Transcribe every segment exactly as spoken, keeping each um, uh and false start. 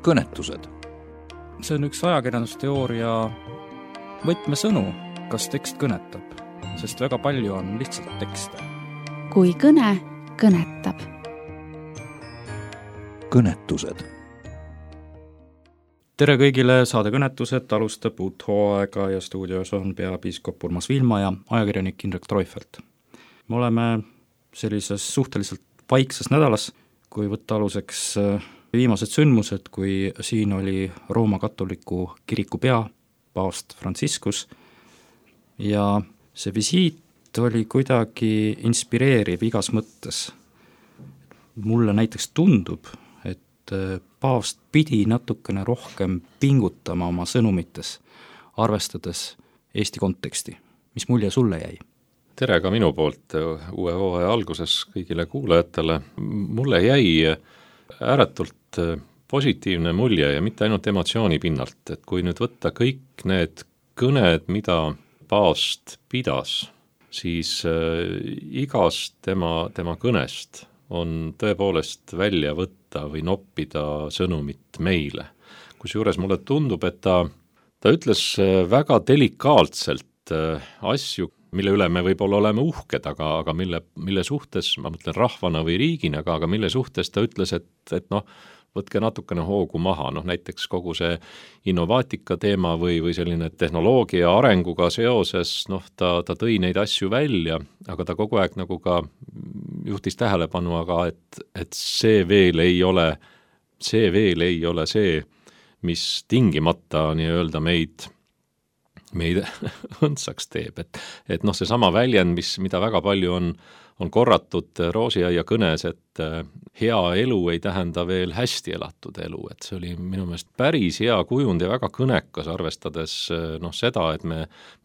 kõnetused. See on üks ajakirjandusteooria võtmesõnu, kas tekst kõnetab, sest väga palju on lihtsalt tekste. Kui kõne kõnetab. Kõnetused. Tere kõigile, saade Kõnetused alustab uut hooaega ja stuudios on peapiiskop Urmas Vilma ja ajakirjanik Indrek Treufelt. Me oleme sellises suhteliselt vaikses nädalas, kui võtta aluseks viimased sündmused, kui siin oli Rooma katoliku kiriku pea, paavst Franciscus, ja see visiit oli kuidagi inspireeriv igas mõttes. Mulle näiteks tundub, et paavst pidi natukene rohkem pingutama oma sõnumites, arvestades Eesti konteksti. Mis mulje sulle jäi? Tere ka minu poolt uue hooaja alguses kõigile kuulajatele. Mulle jäi ääretult positiivne mulje ja mitte ainult emotsiooni pinnalt, et kui nüüd võtta kõik need kõned, mida paavst pidas, siis igast tema, tema kõnest on tõepoolest välja võtta või noppida sõnumit meile. Kusjuures mulle tundub, et ta, ta ütles väga delikaatselt asju, mille üle me võib-olla oleme uhked, aga, aga mille, mille suhtes, ma mõtlen rahvana või riigina, aga, aga mille suhtes ta ütles, et, et noh, võtke natukene hoogu maha, noh näiteks kogu see innovaatika teema või, või selline tehnoloogia arenguga seoses, noh ta, ta tõi neid asju välja, aga ta kogu aeg nagu ka juhtis tähelepanu, aga et, et see veel ei ole, see veel ei ole see, mis tingimata nii-öelda meid, meid õndsaks teeb, et, et noh, see sama väljend, mis, mida väga palju on, on korratud Roosiaia kõnes, et hea elu ei tähenda veel hästi elatud elu, et see oli minu meelest päris hea kujund ja väga kõnekas, arvestades noh, seda, et me,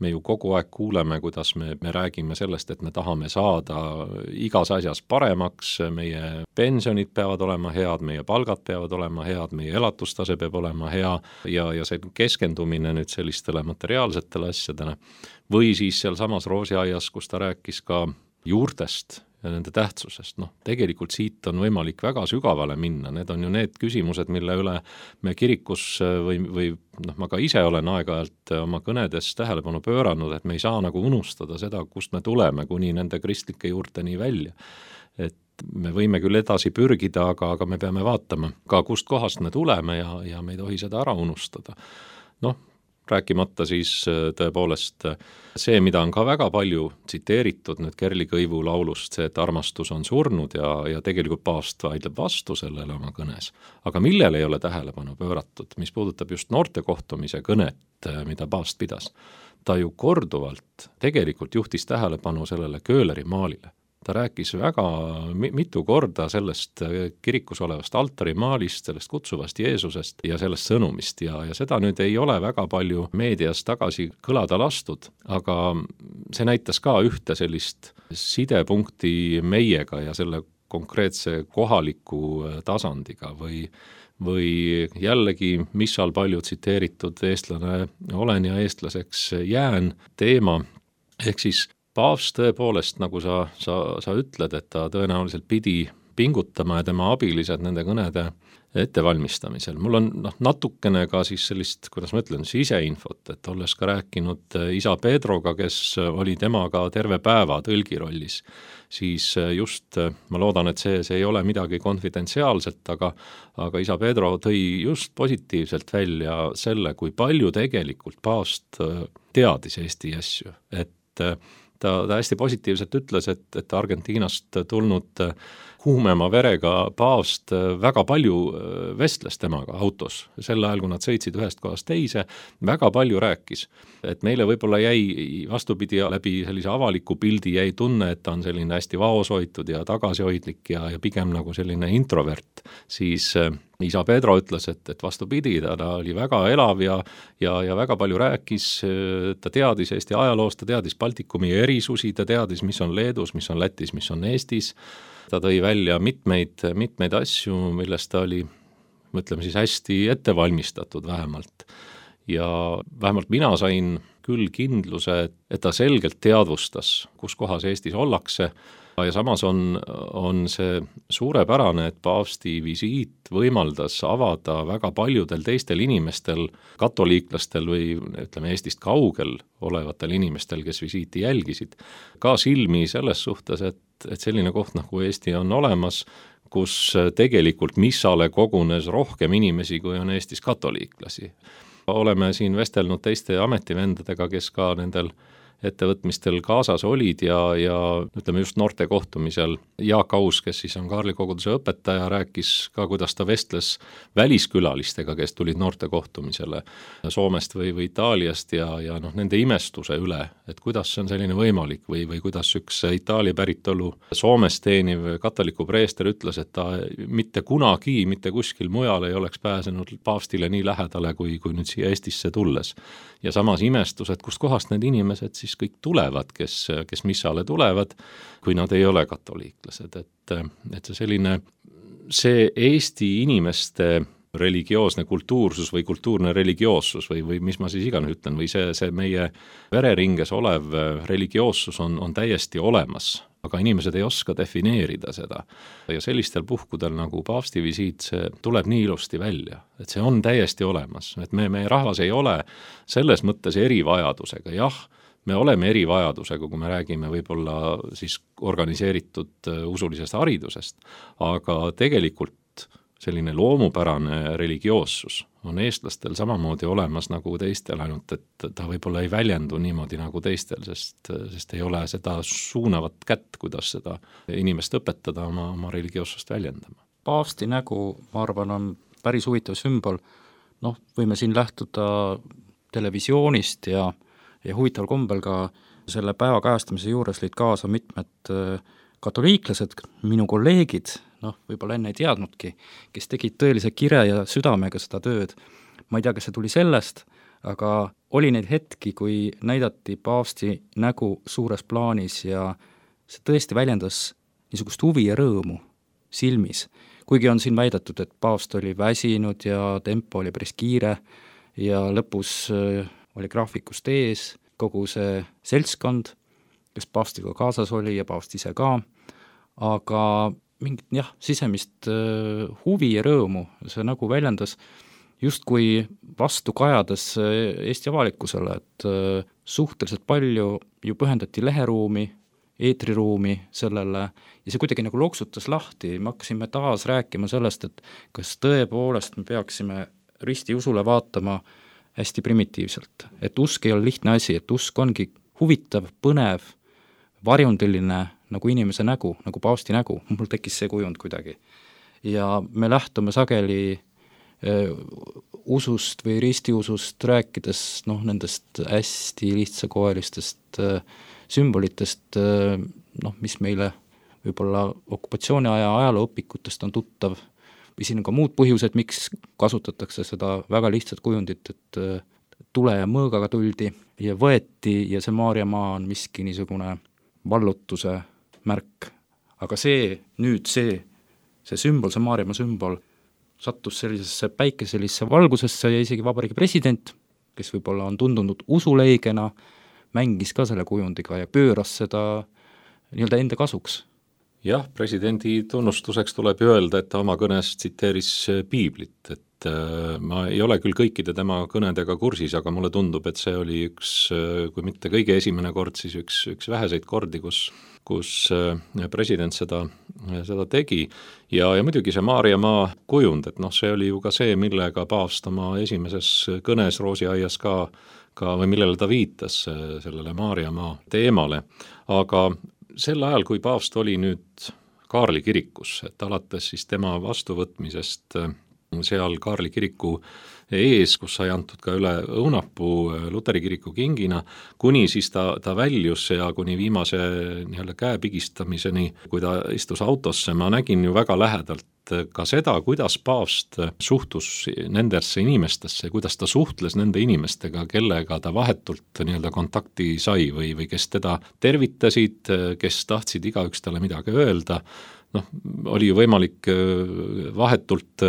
me ju kogu aeg kuuleme, kuidas me, me räägime sellest, et me tahame saada igas asjas paremaks, meie pensionid peavad olema head, meie palgad peavad olema head, meie elatustase peab olema hea ja, ja see keskendumine nüüd sellistele materiaalsetele asjadele. Või siis seal samas Roosiaias, kus ta rääkis ka juurtest ja nende tähtsusest. Noh, tegelikult siit on võimalik väga sügavale minna. Need on ju need küsimused, mille üle me kirikus või, või noh, ma ka ise olen aeg-ajalt oma kõnedes tähelepanu pööranud, et me ei saa nagu unustada seda, kust me tuleme kuni nende kristlike juurteni välja. Et me võime küll edasi pürgida, aga, aga me peame vaatama ka kust kohast me tuleme ja, ja me ei tohi seda ära unustada. Noh, rääkimata siis tõepoolest see, mida on ka väga palju tsiteeritud nüüd Kerli Kõivu laulust, see, et armastus on surnud ja, ja tegelikult paavst vaidleb vastu sellele oma kõnes. Aga millele ei ole tähelepanu pööratud, mis puudutab just noorte kohtumise kõnet, mida paavst pidas, ta ju korduvalt tegelikult juhtis tähelepanu sellele Köhleri maalile. Ta rääkis väga mitu korda sellest kirikus olevast altarimaalist, sellest kutsuvast Jeesusest ja sellest sõnumist ja, ja seda nüüd ei ole väga palju meedias tagasi kõlada lastud, aga see näitas ka ühte sellist sidepunkti meiega ja selle konkreetse kohaliku tasandiga või, või jällegi, mis seal palju tsiteeritud eestlane olen ja eestlaseks jään teema, ehk siis paavst tõepoolest, nagu sa, sa, sa ütled, et ta tõenäoliselt pidi pingutama ja tema abilised nende kõnede ettevalmistamisel. Mul on noh, natukene ka siis sellist, kuidas ma ütlen, siseinfot, et olles ka rääkinud isa Pedroga, kes oli temaga terve päeva tõlgirollis, siis just, ma loodan, et see, see ei ole midagi konfidentsiaalset, aga, aga isa Pedro tõi just positiivselt välja selle, kui palju tegelikult paavst teadis Eesti asju, et Ta, ta hästi positiivselt ütles, et, et Argentiinast tulnud kuumema verega paavst väga palju vestles temaga autos. Sel ajal, kui nad sõitsid ühest kohast teise, väga palju rääkis. Et meile võib-olla jäi vastupidi läbi sellise avaliku pildi jäi tunne, et ta on selline hästi vaoshoitud ja tagasihoidlik ja, ja pigem nagu selline introvert. Siis isa Pedro ütles, et, et vastupidi, ta, ta oli väga elav ja, ja, ja väga palju rääkis, ta teadis Eesti ajaloost, ta teadis Baltikumi erisusi, ta teadis, mis on Leedus, mis on Lätis, mis on Eestis. Ta tõi välja mitmeid, mitmeid asju, millest ta oli, mõtleme siis hästi ettevalmistatud vähemalt. ja vähemalt mina sain küll kindluse, et ta selgelt teadvustas, kus kohas Eestis ollakse, ja samas on, on see suurepärane, et paavsti visiit võimaldas avada väga paljudel teistel inimestel, katoliiklastel või ütleme Eestist kaugel olevatel inimestel, kes visiiti jälgisid, ka silmi selles suhtes, et, et selline koht nagu Eesti on olemas, kus tegelikult missale kogunes rohkem inimesi, kui on Eestis katoliiklasi. Oleme siin vestelnud teiste ametivendadega, kes ka nendel ettevõtmistel kaasas olid ja, ja ütleme just noorte kohtumisel Jaak Aus, kes siis on Kaarli koguduse õpetaja, rääkis ka, kuidas ta vestles väliskülalistega, kes tulid noorte kohtumisele Soomest või, või Itaaliast ja, ja noh, nende imestuse üle, et kuidas see on selline võimalik või, või kuidas üks Itaalia päritolu Soomes teeniv katoliku preester ütles, et ta mitte kunagi, mitte kuskil mujal ei oleks pääsenud paavstile nii lähedale, kui, kui nüüd siia Eestisse tulles. Ja samas imestus, et kust kohast need inimesed siis kõik tulevad, kes, kes missale tulevad, kui nad ei ole katoliiklased, et, et see selline, see Eesti inimeste religioosne kultuursus või kultuurne religioossus või, või mis ma siis iganes ütlen, või see, see meie vereringes olev religioossus on, on täiesti olemas, aga inimesed ei oska defineerida seda. Ja sellistel puhkudel nagu paavsti visiit, see tuleb nii ilusti välja, et see on täiesti olemas, et me, meie rahvas ei ole selles mõttes erivajadusega, jah, me oleme erivajadusega, kui me räägime võib-olla siis organiseeritud usulisest haridusest, aga tegelikult selline loomupärane religioossus on eestlastel samamoodi olemas nagu teistel, ainult et ta võib-olla ei väljendu niimoodi nagu teistel, sest, sest ei ole seda suunavat kätt, kuidas seda inimest õpetada oma, oma religioossust väljendama. Paavsti nägu, ma arvan, on päris huvitav sümbol. Noh, võime siin lähtuda televisioonist ja ja huvitaval kombel ka selle päeva kajastamise juures lõid kaasa mitmed katoliiklased, minu kolleegid, noh, võib-olla enne ei teadnudki, kes tegid tõelise kire ja südamega seda tööd. Ma ei tea, kas see tuli sellest, aga oli neid hetki, kui näidati paavsti nägu suures plaanis ja see tõesti väljendas niisugust huvi ja rõõmu silmis. Kuigi on siin väidetud, et paavst oli väsinud ja tempo oli päris kiire ja lõpus oli graafikust ees kogu see seltskond, kes paavstiga kaasas oli ja paavst ise ka, aga mingit jah, sisemist huvi ja rõõmu see nagu väljendas justkui vastu kajades Eesti avalikkusele, et suhteliselt palju ju pühendati leheruumi, eetriruumi sellele ja see kuidagi nagu loksutas lahti, me hakkasime taas rääkima sellest, et kas tõepoolest me peaksime risti usule vaatama hästi primitiivselt, et usk ei ole lihtne asi, et usk ongi huvitav, põnev, varjundiline nagu inimese nägu, nagu paavsti nägu, mul tekkis see kujund kuidagi. Ja me lähtume sageli äh, usust või ristiusust rääkides noh, nendest hästi lihtsakoelistest äh, sümbolitest, äh, noh, mis meile võib-olla okupatsiooniaja ajalooõpikutest on tuttav, või siin on ka muud põhjused, miks kasutatakse seda väga lihtsat kujundit, et tule ja mõõgaga tuldi ja võeti ja see Maarjamaa on miski niisugune vallutuse märk. Aga see, nüüd see, see sümbol, see Maarjamaa sümbol sattus sellisesse päikeselisse valgusesse ja isegi vabariigi president, kes võib-olla on tundunud usuleigena, mängis ka selle kujundiga ja pööras seda nii-öelda enda kasuks. Jah, presidendi tunnustuseks tuleb öelda, et ta oma kõnes tsiteeris piiblit, et ma ei ole küll kõikide tema kõnedega kursis, aga mulle tundub, et see oli üks, kui mitte kõige esimene kord, siis üks, üks väheseid kordi, kus, kus president seda, seda tegi. Ja, ja muidugi see Maarjamaa kujund, et noh, see oli ju ka see, millega paavst oma esimeses kõnes Roosiaias ka, ka või millele ta viitas sellele Maarjamaa teemale, aga sel ajal, kui paavst oli nüüd Kaarli kirikus, et alates siis tema vastuvõtmisest seal Kaarli kiriku ees, kus sai antud ka üle õunapuu Luteri kiriku kingina, kuni siis ta, ta väljus ja kuni viimase nii-öelda käe pigistamiseni, kui ta istus autosse, ma nägin ju väga lähedalt ka seda, kuidas paavst suhtus nendesse inimestesse, kuidas ta suhtles nende inimestega, kellega ta vahetult nii-öelda kontakti sai või, või kes teda tervitasid, kes tahtsid igaüks talle midagi öelda. noh, oli ju võimalik vahetult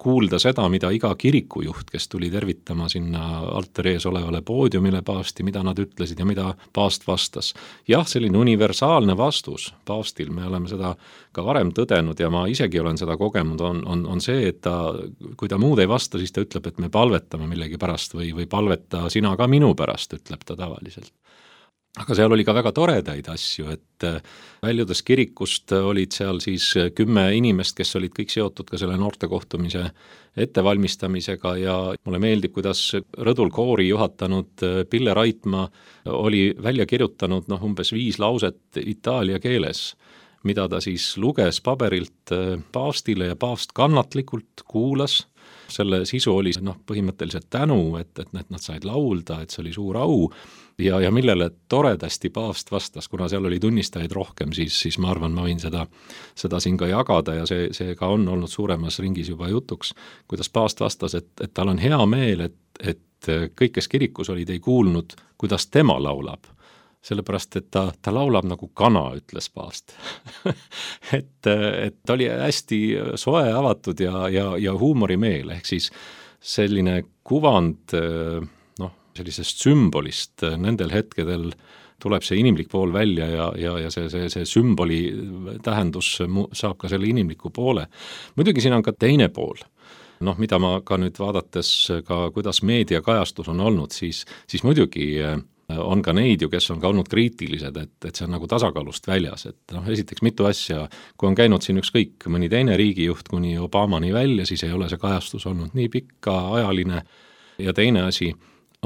kuulda seda, mida iga kirikujuht, kes tuli tervitama sinna altari ees olevale poodiumile paavsti, mida nad ütlesid ja mida paavst vastas. Jah, selline universaalne vastus paavstil, me oleme seda ka varem tõdenud ja ma isegi olen seda kogenud, on, on, on see, et ta, kui ta muud ei vasta, siis ta ütleb, et me palvetame millegi pärast või, või palveta sina ka minu pärast, ütleb ta tavaliselt. Aga seal oli ka väga toredaid asju, et väljudes kirikust olid seal siis kümme inimest, kes olid kõik seotud ka selle noortekohtumise ettevalmistamisega ja mulle meeldib, kuidas rõdul koori juhatanud Pille Raitmaa oli välja kirjutanud noh, umbes viis lauset itaalia keeles, mida ta siis luges paberilt paavstile ja paavst kannatlikult kuulas. Selle sisu oli noh, põhimõtteliselt tänu, et, et nad said laulda, et see oli suur au ja, ja millele toredasti paavst vastas, kuna seal oli tunnistajaid rohkem, siis, siis ma arvan, ma võin seda, seda siin ka jagada ja see, see ka on olnud suuremas ringis juba jutuks, kuidas paavst vastas, et, et tal on hea meel, et, et kõik, kes kirikus olid, ei kuulnud, kuidas tema laulab. Sellepärast, et ta, ta laulab nagu kana, ütles paavst. et, et ta oli hästi soe, avatud ja, ja, ja huumorimeel, ehk siis selline kuvand noh, sellisest sümbolist nendel hetkedel tuleb see inimlik pool välja ja, ja, ja see, see, see sümboli tähendus saab ka selle inimliku poole. Muidugi siin on ka teine pool. Noh, mida ma ka nüüd vaadates ka, kuidas meediakajastus on olnud, siis, siis muidugi on ka neid ju, kes on ka olnud kriitilised, et, et see on nagu tasakaalust väljas, et noh, esiteks mitu asja, kui on käinud siin ükskõik mõni teine riigijuht kuni Obamani välja, siis ei ole see kajastus olnud nii pikka ajaline ja teine asi,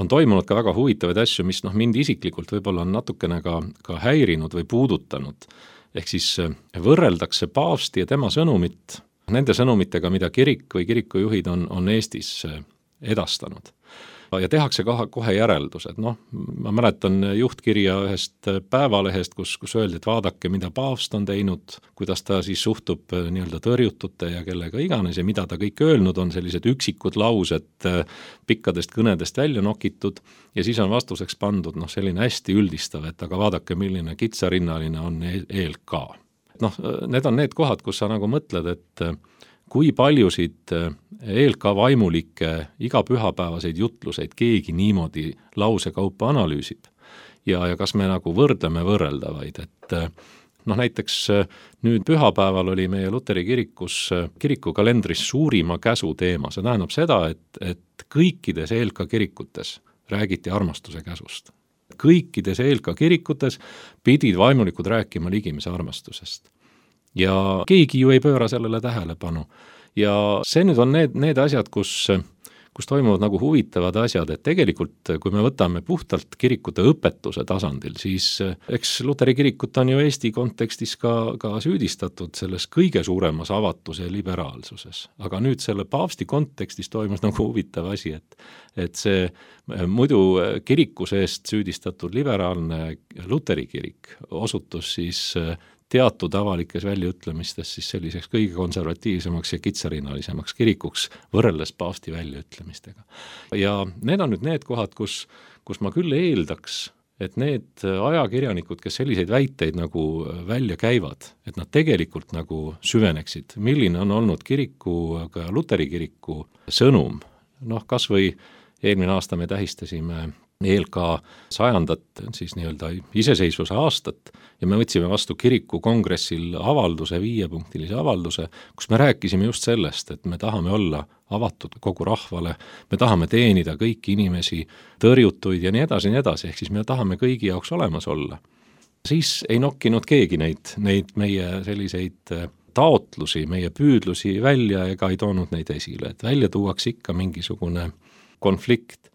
on toimunud ka väga huvitavaid asju, mis noh, mind isiklikult võib-olla on natukene ka, ka häirinud või puudutanud, ehk siis võrreldakse paavsti ja tema sõnumit nende sõnumitega, mida kirik või kirikujuhid on, on Eestis edastanud. Ja tehakse kohe, kohe järeldused, noh, ma mäletan juhtkirja ühest päevalehest, kus, kus öeldi, et vaadake, mida paavst on teinud, kuidas ta siis suhtub nii-öelda tõrjutute ja kellega iganes ja mida ta kõik öelnud on, sellised üksikud laused pikkadest kõnedest välja nokitud ja siis on vastuseks pandud noh, selline hästi üldistav, et aga vaadake, milline kitsarinnaline on E L K. Noh, need on need kohad, kus sa nagu mõtled, et kui paljusid E L K vaimulikke igapühapäevaseid jutluseid keegi niimoodi lausekaupa analüüsib ja, ja kas me nagu võrdleme võrreldavaid, et noh, näiteks nüüd pühapäeval oli meie Luteri kirikus kirikukalendris suurima käsu teema, see tähendab seda, et, et kõikides E L K kirikutes räägiti armastuse käsust. Kõikides E L K kirikutes pidid vaimulikud rääkima ligimise armastusest. Ja keegi ju ei pööra sellele tähelepanu. Ja see nüüd on need, need asjad, kus, kus toimuvad nagu huvitavad asjad, et tegelikult kui me võtame puhtalt kirikute õpetuse tasandil, siis eks Luteri kirikut on ju Eesti kontekstis ka, ka süüdistatud selles kõige suuremas avatuse ja liberaalsuses. Aga nüüd selle paavsti kontekstis toimus nagu huvitav asi, et, et see muidu kiriku seest süüdistatud liberaalne Luteri kirik osutus siis teatud avalikes väljaütlemistes siis selliseks kõige konservatiivsemaks ja kitsarinnalisemaks kirikuks võrreldes paavsti väljaütlemistega. Ja need on nüüd need kohad, kus, kus ma küll eeldaks, et need ajakirjanikud, kes selliseid väiteid nagu välja käivad, et nad tegelikult nagu süveneksid, milline on olnud kiriku, ka Luteri kiriku sõnum. Noh, kas või eelmine aasta me tähistasime E L K sajandat, siis nii-öelda iseseisvuse aastat ja me võtsime vastu kiriku kongressil avalduse, viiepunktilise avalduse, kus me rääkisime just sellest, et me tahame olla avatud kogu rahvale, me tahame teenida kõiki inimesi, tõrjutuid ja nii edasi, nii edasi, ehk siis me tahame kõigi jaoks olemas olla. Siis ei nokkinud keegi neid, neid meie selliseid taotlusi, meie püüdlusi välja ega ei toonud neid esile, et välja tuuaks ikka mingisugune konflikt.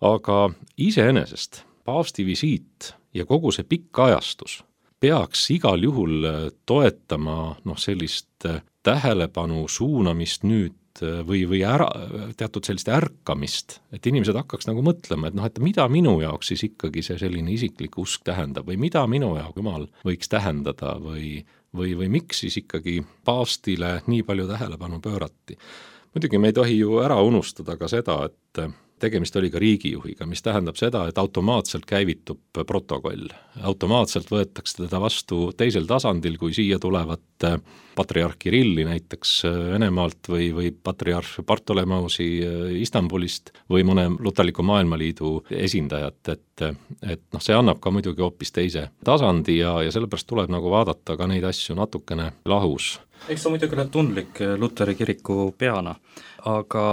Aga iseenesest paavsti visiit ja kogu see pikk ajastus peaks igal juhul toetama noh, sellist tähelepanu suunamist nüüd või, või ära, teatud sellist ärkamist, et inimesed hakkaks nagu mõtlema, et noh, et mida minu jaoks siis ikkagi see selline isiklik usk tähendab või mida minu jaoks Jumal võiks tähendada või, või, või miks siis ikkagi paavstile nii palju tähelepanu pöörati. Muidugi me ei tohi ju ära unustada ka seda, et tegemist oli ka riigijuhiga, mis tähendab seda, et automaatselt käivitub protokoll. Automaatselt võetakse teda vastu teisel tasandil, kui siia tulevad patriarh Kirilli näiteks Venemaalt või, või patriarh Bartolomeusi Istanbulist või mõne luterliku maailmaliidu esindajat, et, et noh, see annab ka muidugi hoopis teise tasandi ja, ja sellepärast tuleb nagu vaadata ka neid asju natukene lahus. Eks ta muidugi ole tundlik Luteri kiriku peana, aga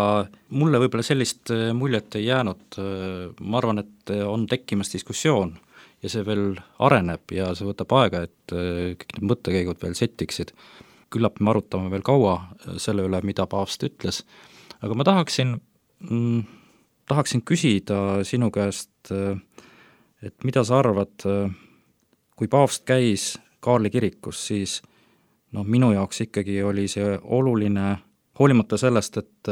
mulle võib-olla sellist muljet ei jäänud. Ma arvan, et on tekkimas diskussioon ja see veel areneb ja see võtab aega, et kõik need mõttekäigud veel settiksid. Küllap me arutame veel kaua selle üle, mida paavst ütles, aga ma tahaksin, mm, tahaksin küsida sinu käest, et mida sa arvad, kui paavst käis Kaarli kirikus, siis noh, minu jaoks ikkagi oli see oluline, hoolimata sellest, et,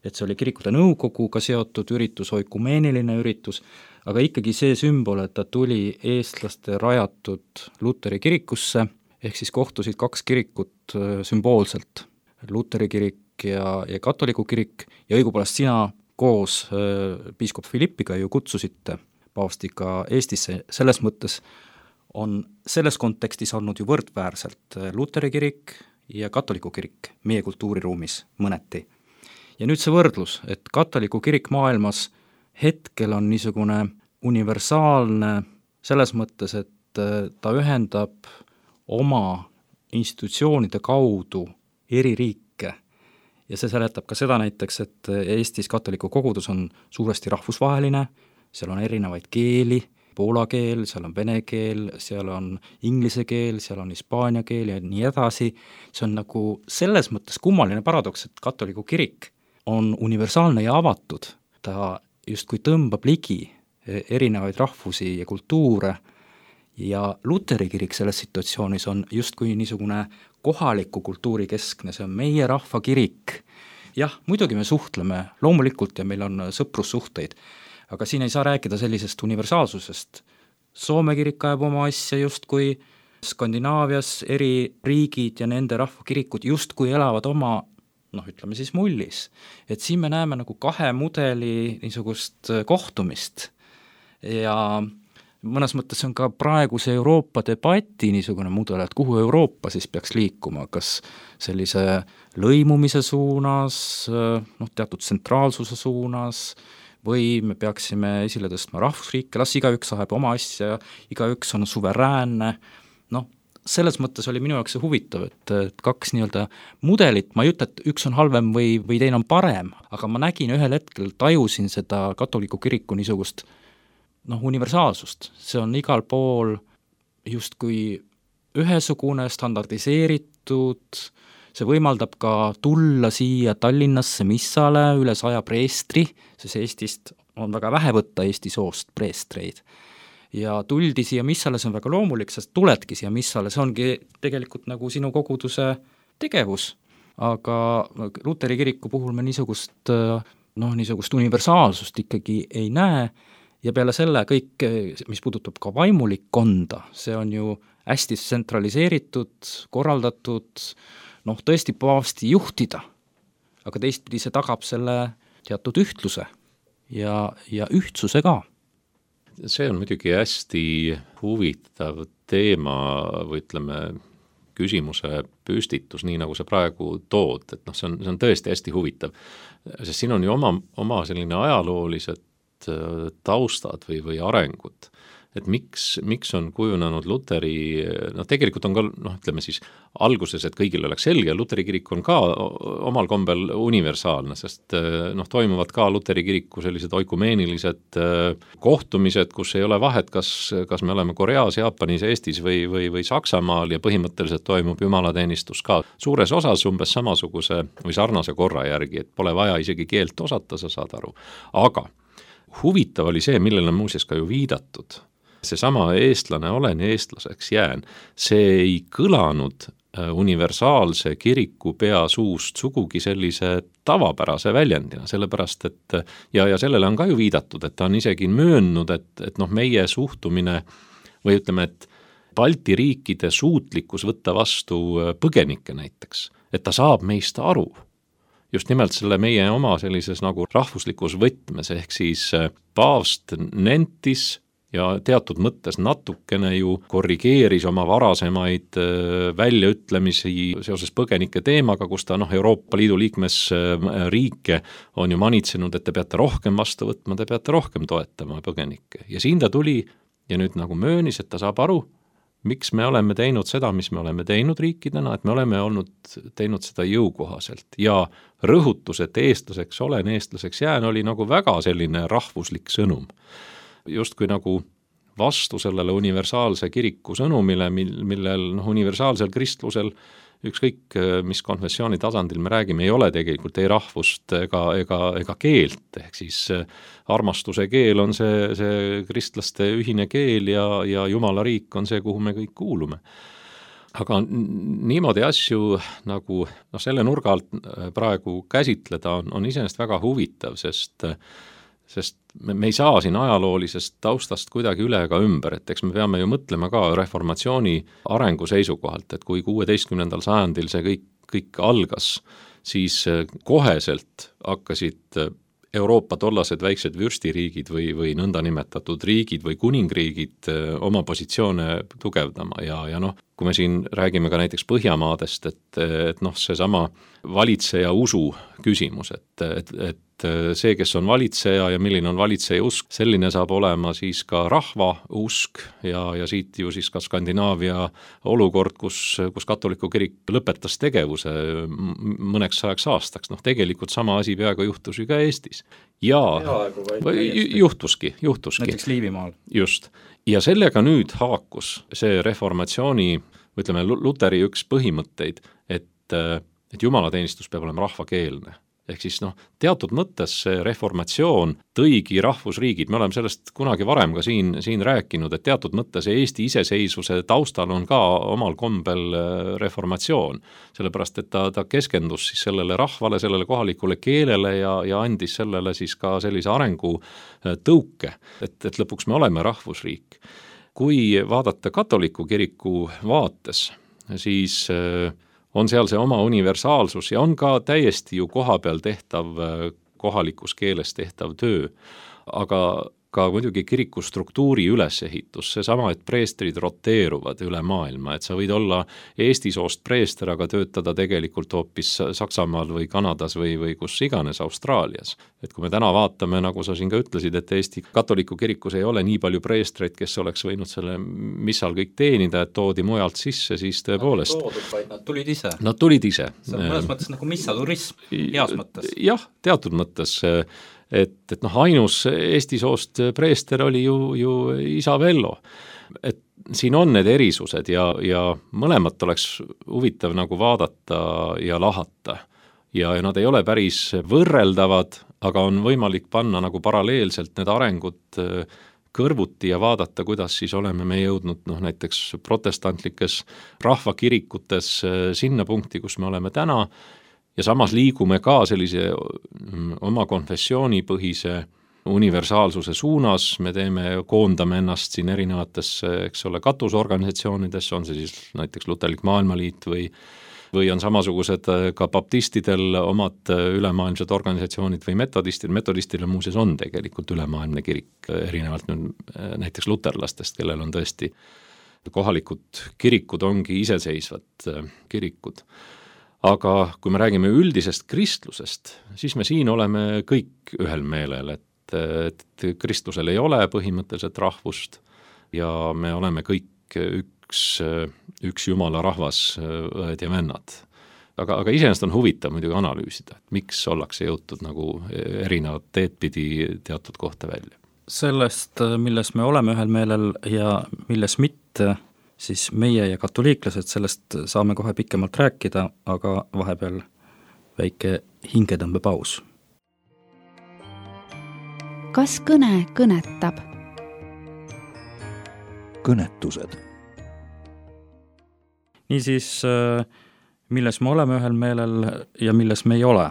et see oli kirikute nõukoguga seotud üritus, oikumeeniline üritus, aga ikkagi see sümbol, et ta tuli eestlaste rajatud Luteri kirikusse, ehk siis kohtusid kaks kirikut sümboolselt, Luteri kirik ja, ja katoliku kirik, ja õigupoolest sina koos äh, piiskop Philippiga ju kutsusite paavstiga Eestisse, selles mõttes on selles kontekstis olnud ju võrdväärselt Luteri kirik ja katoliku kirik meie kultuuriruumis mõneti. Ja nüüd see võrdlus, et katoliku kirik maailmas hetkel on niisugune universaalne selles mõttes, et ta ühendab oma institutsioonide kaudu eri riike ja see seletab ka seda näiteks, et Eestis katoliku kogudus on suuresti rahvusvaheline, seal on erinevaid keeli, poola keel, seal on vene keel, seal on inglise keel, seal on hispaania keel ja nii edasi. See on nagu selles mõttes kummaline paradoks, et katoliku kirik on universaalne ja avatud. Ta justkui tõmbab ligi erinevaid rahvusi ja kultuure ja Luteri kirik selles situatsioonis on justkui niisugune kohaliku kultuuri keskne, see on meie rahva kirik. Jah, muidugi me suhtleme loomulikult ja meil on sõprussuhteid, aga siin ei saa rääkida sellisest universaalsusest. Soome kirik ajab oma asja justkui Skandinaavias eri riigid ja nende rahvakirikud justkui elavad oma, noh ütleme siis mullis. Et siin me näeme nagu kahe mudeli niisugust kohtumist ja mõnes mõttes on ka praeguse Euroopa debati niisugune mudel, et kuhu Euroopa siis peaks liikuma, kas sellise lõimumise suunas, noh teatud tsentraalsuse suunas, või me peaksime esile tõstma rahvusriike, las igaüks ajab oma asja, igaüks on suveräänne, noh, selles mõttes oli minu jaoks see huvitav, et, et kaks nii-öelda mudelit, ma ei ütle, et üks on halvem või, või teine on parem, aga ma nägin ühel hetkel, tajusin seda katoliku kiriku niisugust noh, universaalsust, see on igal pool justkui ühesugune, standardiseeritud, see võimaldab ka tulla siia Tallinnasse missale üle saja preestri, sest Eestist on väga vähe võtta Eesti soost preestreid. Ja tuldi siia missale, see on väga loomulik, sest tuledki siia missale, see ongi tegelikult nagu sinu koguduse tegevus. Aga Luteri kiriku puhul me niisugust, noh, niisugust universaalsust ikkagi ei näe ja peale selle kõik, mis puudutab ka vaimulikkonda, see on ju hästi tsentraliseeritud, korraldatud, noh, tõesti paavsti juhtida, aga teistpidi see tagab selle teatud ühtluse ja, ja ühtsuse ka. See on muidugi hästi huvitav teema või ütleme küsimuse püstitus, nii nagu sa praegu tood, et noh, see on, see on tõesti hästi huvitav, sest siin on ju oma, oma selline ajaloolised taustad või, või arengud. Et miks, miks on kujunenud Luteri, noh tegelikult on ka, noh ütleme siis alguses, et kõigil oleks selge, Luteri kirik on ka omal kombel universaalne, sest noh, toimuvad ka Luteri kiriku sellised oikumeenilised kohtumised, kus ei ole vahet, kas, kas me oleme Koreas, Jaapanis, Eestis või, või, või Saksamaal ja põhimõtteliselt toimub jumalateenistus ka suures osas umbes samasuguse või sarnase korra järgi, et pole vaja isegi keelt osata, sa saad aru. Aga huvitav oli see, millele muuseas ka ju viidatud, seesama eestlane olen ja eestlaseks jään, see ei kõlanud universaalse kiriku pea suust sugugi sellise tavapärase väljendina, sellepärast et ja, ja sellele on ka ju viidatud, et ta on isegi möönnud, et, et noh, meie suhtumine või ütleme, et Balti riikide suutlikkus võtta vastu põgenikke näiteks, et ta saab meist aru. just nimelt selle meie oma sellises nagu rahvuslikus võtmes, ehk siis paavst nentis ja teatud mõttes natukene ju korrigeeris oma varasemaid väljaütlemisi seoses põgenike teemaga, kus ta noh, Euroopa Liidu liikmesriike on ju manitsenud, et te peate rohkem vastu võtma, te peate rohkem toetama põgenikke. Ja siin ta tuli ja nüüd nagu möönis, et ta saab aru, miks me oleme teinud seda, mis me oleme teinud riikidena, et me oleme olnud teinud seda jõukohaselt ja rõhutus, et eestlaseks olen, eestlaseks jään, oli nagu väga selline rahvuslik sõnum. Justkui nagu vastu sellele universaalse kiriku sõnumile, millel noh, universaalsel kristlusel ükskõik mis konfessiooni tasandil me räägime, ei ole tegelikult ei rahvust ega, ega, ega keelt, ehk siis armastuse keel on see, see kristlaste ühine keel ja, ja Jumala riik on see, kuhu me kõik kuulume. Aga niimoodi asju nagu noh, selle nurga alt praegu käsitleda on, on iseenesest väga huvitav, sest sest me, me ei saa siin ajaloolisest taustast kuidagi üle ega ümber, et eks me peame ju mõtlema ka reformatsiooni arengu seisukohalt, et kui kuueteistkümnendal sajandil see kõik, kõik algas, siis koheselt hakkasid Euroopa tollased väiksed vürstiriigid või, või nõndanimetatud riigid või kuningriigid oma positsioone tugevdama ja, ja noh, kui me siin räägime ka näiteks Põhjamaadest, et, et noh, seesama valitseja usu küsimus, et, et, et see, kes on valitseja ja milline on valitseja usk, selline saab olema siis ka rahva usk ja, ja siit ju siis ka Skandinaavia olukord, kus, kus katoliku kirik lõpetas tegevuse mõneks sajaks aastaks. Noh, tegelikult sama asi peaaegu juhtus ju ka Eestis. Ja juhtuski, juhtuski. Näiteks Liivimaal. Just. Ja sellega nüüd haakus see reformatsiooni, ütleme, Luteri üks põhimõtteid, et, et jumalateenistus peab olema rahvakeelne. Ehk siis noh, teatud mõttes see reformatsioon tõigi rahvusriigid, me oleme sellest kunagi varem ka siin, siin rääkinud, et teatud mõttes Eesti iseseisvuse taustal on ka omal kombel reformatsioon, sellepärast et ta, ta keskendus siis sellele rahvale, sellele kohalikule keelele ja, ja andis sellele siis ka sellise arengu tõuke, et, et lõpuks me oleme rahvusriik. Kui vaadata katoliku kiriku vaates, siis on seal see oma universaalsus ja on ka täiesti ju kohapeal tehtav, kohalikus keeles tehtav töö, aga ka muidugi kiriku struktuuri ülesehitus, seesama, et preestrid roteeruvad üle maailma, et sa võid olla Eesti soost preester, aga töötada tegelikult hoopis Saksamaal või Kanadas või, või kus iganes Austraalias. Et kui me täna vaatame, nagu sa siin ka ütlesid, et Eesti katoliku kirikus ei ole nii palju preestreid, kes oleks võinud selle missal kõik teenida, et toodi mujalt sisse, siis tõepoolest. Nad toodud, vaid nad tulid ise. Nad tulid ise. See on mõnes mõttes nagu missaturism, heas mõttes. Jah, teatud mõttes. Et, et noh, ainus Eesti soost preester oli ju, ju isa Vello. Et siin on need erisused ja, ja mõlemat oleks huvitav nagu vaadata ja lahata. Ja, ja nad ei ole päris võrreldavad, aga on võimalik panna nagu paralleelselt need arengud kõrvuti ja vaadata, kuidas siis oleme me jõudnud noh, näiteks protestantlikes rahvakirikutes sinna punkti, kus me oleme täna, ja samas liigume ka sellise oma konfessioonipõhise universaalsuse suunas, me teeme, koondame ennast siin erinevates, eks ole, katusorganisatsioonides, on see siis näiteks Luterlik Maailmaliit või, või on samasugused ka baptistidel omad ülemaailmsed organisatsioonid või metodistid, metodistidel muuseas on tegelikult ülemaailmne kirik, erinevalt nüüd näiteks luterlastest, kellel on tõesti kohalikud kirikud ongi iseseisvad kirikud. Aga kui me räägime üldisest kristlusest, siis me siin oleme kõik ühel meelel, et, et kristlusel ei ole põhimõtteliselt rahvust ja me oleme kõik üks, üks Jumala rahvas, õed ja vennad. Aga, aga iseenesest on huvitav muidugi analüüsida, et miks ollakse jõutud nagu erinevad teed pidi teatud kohta välja. Sellest, milles me oleme ühel meelel ja milles mitte, siis meie ja katoliiklased, sellest saame kohe pikemalt rääkida, aga vahepeal väike hingetõmbepaus. Kas kõne kõnetab? Kõnetused. Niisiis, milles me oleme ühel meelel ja milles me ei ole.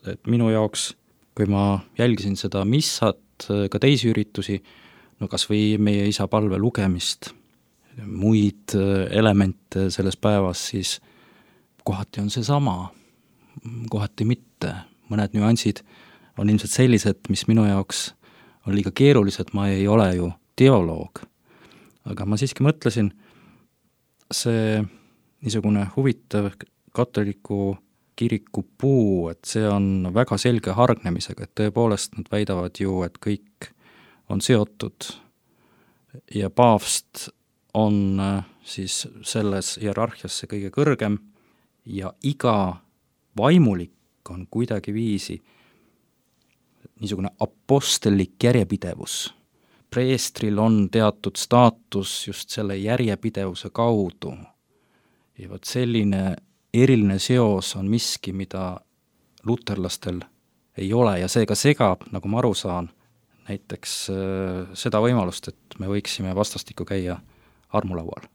Et minu jaoks, kui ma jälgisin seda missat, ka teisi üritusi, no kas või meie isa palve lugemist, muid elemente selles päevas, siis kohati on see sama. kohati mitte. Mõned nüansid on ilmselt sellised, mis minu jaoks on liiga keerulised, ma ei ole ju teoloog. Aga ma siiski mõtlesin, see niisugune huvitav katoliku kiriku puu, et see on väga selge hargnemisega, et tõepoolest nad väidavad ju, et kõik on seotud ja paavst on siis selles hierarhias see kõige kõrgem ja iga vaimulik on kuidagi viisi niisugune apostellik järjepidevus. Preestril on teatud staatus just selle järjepidevuse kaudu ja vot selline eriline seos on miski, mida luterlastel ei ole ja see ka segab, nagu ma aru saan, näiteks äh, seda võimalust, et me võiksime vastastikku käia armulaual.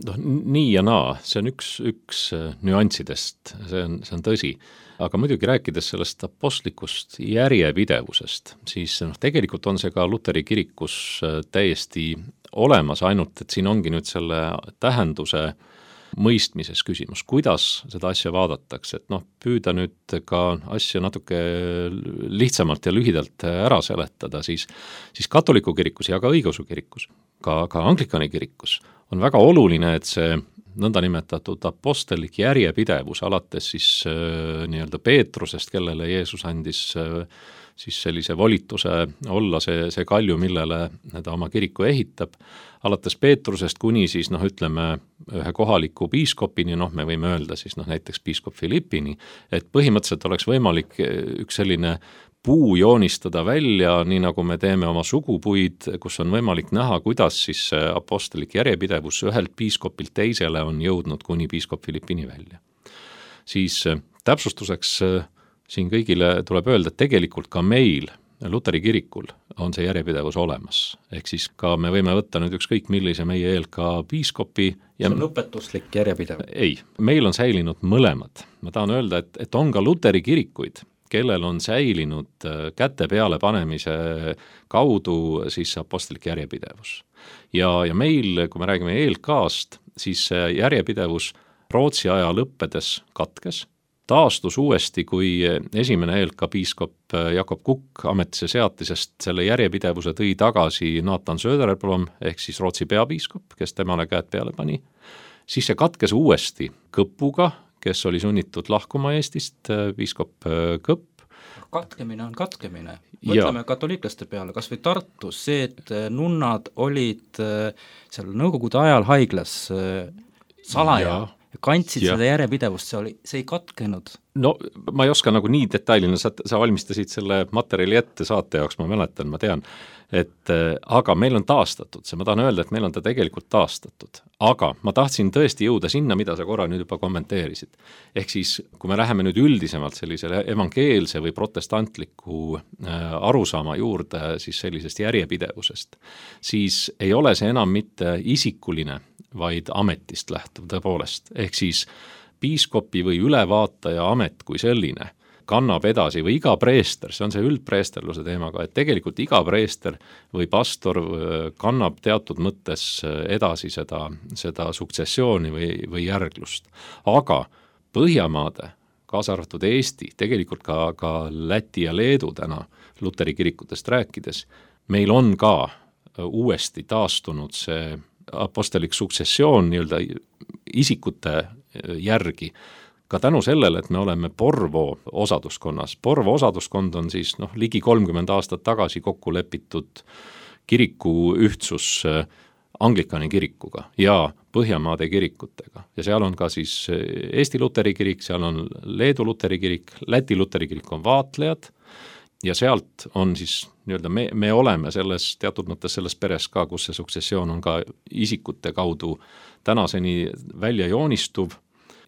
noh, nii ja naa, see on üks, üks nüanssidest, see on, see on tõsi, aga muidugi rääkides sellest apostlikust järjepidevusest, siis noh, tegelikult on see ka Luteri kirikus täiesti olemas, ainult et siin ongi nüüd selle tähenduse mõistmises küsimus, kuidas seda asja vaadatakse, et noh, püüda nüüd ka asja natuke lihtsamalt ja lühidalt ära seletada, siis, siis katoliku kirikus ja ka õigeusu kirikus, ka, ka anglikani kirikus on väga oluline, et see nõndanimetatud apostellik järjepidevus alates siis äh, nii-öelda Peetrusest, kellele Jeesus andis äh, siis sellise volituse olla see, see kalju, millele ta oma kiriku ehitab, alates Peetrusest kuni siis noh, ütleme ühe kohaliku piiskopini, noh me võime öelda siis noh, näiteks piiskop Philippini, et põhimõtteliselt oleks võimalik üks selline puu joonistada välja, nii nagu me teeme oma sugupuid, kus on võimalik näha, kuidas siis apostolik järjepidevus ühelt piiskopilt teisele on jõudnud kuni piiskop Philippini välja. Siis täpsustuseks siin kõigile tuleb öelda, et tegelikult ka meil, Luteri kirikul, on see järjepidevus olemas. Ehk siis ka me võime võtta nüüd ükskõik millise meie E L K piiskopi. Ja see on õpetuslik järjepidev? Ei, meil on säilinud mõlemad. Ma tahan öelda, et, et on ka Luteri kirikuid, kellel on säilinud käte peale panemise kaudu siis apostolik järjepidevus. Ja, ja meil, kui me räägime E L K-st, siis järjepidevus Rootsi aja lõppedes katkes, taastus uuesti, kui esimene E L K piiskop Jakob Kukk ametisse seatisest selle järjepidevuse tõi tagasi Nathan Söderblom ehk siis Rootsi peapiiskop, kes temale käed peale pani. Siis see katkes uuesti Kõpuga, kes oli sunnitud lahkuma Eestist, piiskop Kõpp. Katkemine on katkemine. Mõtleme ja. katoliiklaste peale, kas või Tartus, see, et nunnad olid seal nõukogude ajal haiglas salaja ja. kantsid ja. seda järjepidevust, see oli, see ei katkenud. No ma ei oska nagu nii detailina, sa, sa valmistasid selle materjali ette saate jaoks, ma mäletan, ma tean, et aga meil on taastatud see, ma tahan öelda, et meil on ta tegelikult taastatud, aga ma tahtsin tõesti jõuda sinna, mida sa korra nüüd juba kommenteerisid. Ehk siis, kui me läheme nüüd üldisemalt sellisele evangeelse või protestantliku arusaama juurde siis sellisest järjepidevusest, siis ei ole see enam mitte isikuline, vaid ametist lähtuv tõepoolest. Ehk siis piiskopi või ülevaataja amet kui selline kannab edasi või iga preester, see on see üldpreesterluse teemaga, et tegelikult iga preester või pastor kannab teatud mõttes edasi seda, seda suksessiooni või, või järglust. Aga Põhjamaade, kaasa arvatud Eesti, tegelikult ka, ka Läti ja Leedu täna Luteri kirikutest rääkides, meil on ka uuesti taastunud see apostolik suksessioon nii-öelda isikute järgi, ka tänu sellele, et me oleme Porvo osaduskonnas. Porvo osaduskond on siis noh, ligi kolmkümmend aastat tagasi kokku lepitud kiriku ühtsus anglikani kirikuga ja Põhjamaade kirikutega. Ja seal on ka siis Eesti Luteri kirik, seal on Leedu Luteri kirik, Läti Luteri kirik on vaatlejad ja sealt on siis nii-öelda me, me oleme selles teatud mõttes selles peres ka, kus see suksessioon on ka isikute kaudu tänaseni välja joonistuv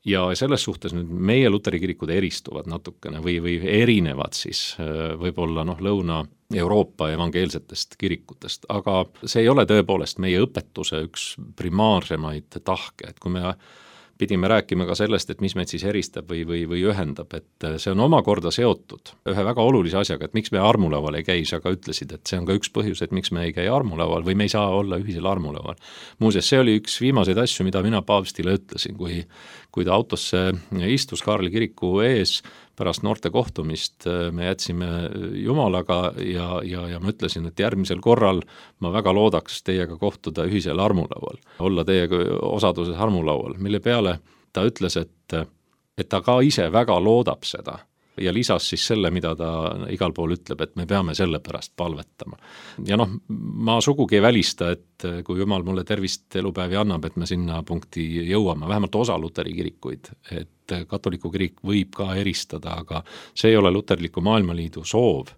ja selles suhtes nüüd meie Luteri kirikud eristuvad natukene või, või erinevad siis võib-olla noh, Lõuna-Euroopa evangeelsetest kirikutest, aga see ei ole tõepoolest meie õpetuse üks primaarsemaid tahke, et kui me pidime rääkima ka sellest, et mis meid siis eristab või, või, või ühendab, et see on omakorda seotud ühe väga olulise asjaga, et miks me armulaual ei käi, sa ka ütlesid, et see on ka üks põhjus, et miks me ei käi armulaual või me ei saa olla ühisel armulaual. Muuseas, see oli üks viimaseid asju, mida mina paavstile ütlesin, kui, kui ta autosse istus Kaarli kiriku ees pärast noorte kohtumist, me jätsime Jumalaga ja, ja, ja ma ütlesin, et järgmisel korral ma väga loodaks teiega kohtuda ühisel armulaual, olla teiega osaduses armulaual, mille peale ta ütles, et, et ta ka ise väga loodab seda ja lisas siis selle, mida ta igal pool ütleb, et me peame selle pärast palvetama. Ja noh, ma sugugi ei välista, et kui Jumal mulle tervist elupäevi annab, et me sinna punkti jõuame, vähemalt osa luteri kirikuid, et katoliku kirik võib ka eristada, aga see ei ole luterliku maailmaliidu soov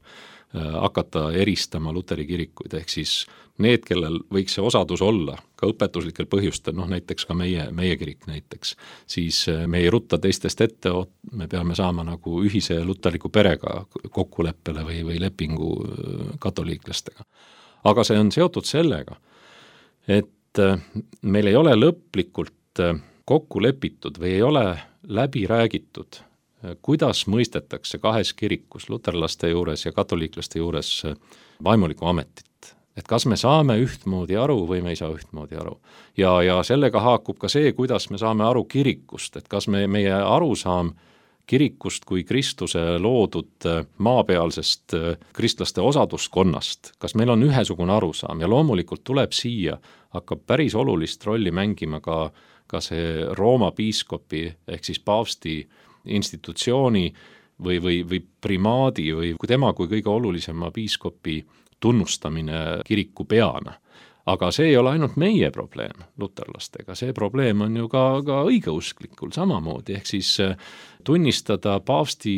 hakata eristama luteri kirikuid, ehk siis need, kellel võiks see osadus olla, ka õpetuslikel põhjustel, noh näiteks ka meie, meie kirik näiteks, siis me ei rutta teistest ette, me peame saama nagu ühise luterliku perega kokkuleppele või, või lepingu katoliiklastega. Aga see on seotud sellega, et meil ei ole lõplikult kokku lepitud või ei ole läbi räägitud, kuidas mõistetakse kahes kirikus, luterlaste juures ja katoliiklaste juures vaimuliku ametit. Et kas me saame ühtmoodi aru või me ei saa ühtmoodi aru. Ja, ja sellega haakub ka see, kuidas me saame aru kirikust, et kas me, meie arusaam kirikust kui Kristuse loodud maapealsest kristlaste osaduskonnast, kas meil on ühesugune arusaam ja loomulikult tuleb siia, hakkab päris olulist rolli mängima ka, ka see Rooma piiskopi ehk siis paavsti institutsiooni või, või, või primaadi või kui tema kui kõige olulisema piiskopi tunnustamine kiriku peana. Aga see ei ole ainult meie probleem luterlastega, see probleem on ju ka, ka õigeusklikul samamoodi, ehk siis tunnistada paavsti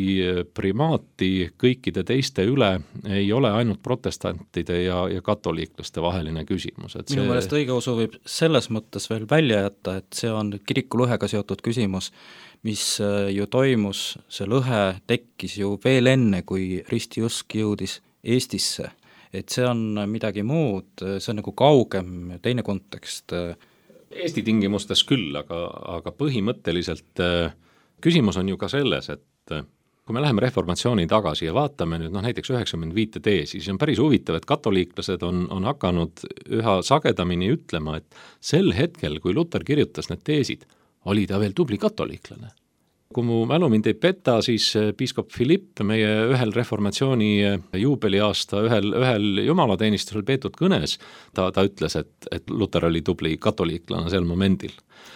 primaati kõikide teiste üle ei ole ainult protestantide ja, ja katoliiklaste vaheline küsimus. Et minu see... meelest õigeusu võib selles mõttes veel välja jätta, et see on kiriku lõhega seotud küsimus, mis ju toimus, see lõhe tekkis ju veel enne, kui ristiusk jõudis Eestisse. Et see on midagi muud, see on nagu kaugem, teine kontekst. Eesti tingimustes küll, aga, aga põhimõtteliselt küsimus on ju ka selles, et kui me läheme reformatsiooni tagasi ja vaatame nüüd noh, näiteks üheksakümmend viis teesi, siis on päris huvitav, et katoliiklased on, on hakanud üha sagedamini ütlema, et sel hetkel, kui Luter kirjutas need teesid, oli ta veel tubli katoliiklane. Kui mu mälu mind ei peta, siis piiskop Philipp meie ühel reformatsiooni juubeliaasta ühel, ühel jumalateenistusel peetud kõnes, ta, ta ütles, et, et Luter oli tubli katoliiklane sel momendil.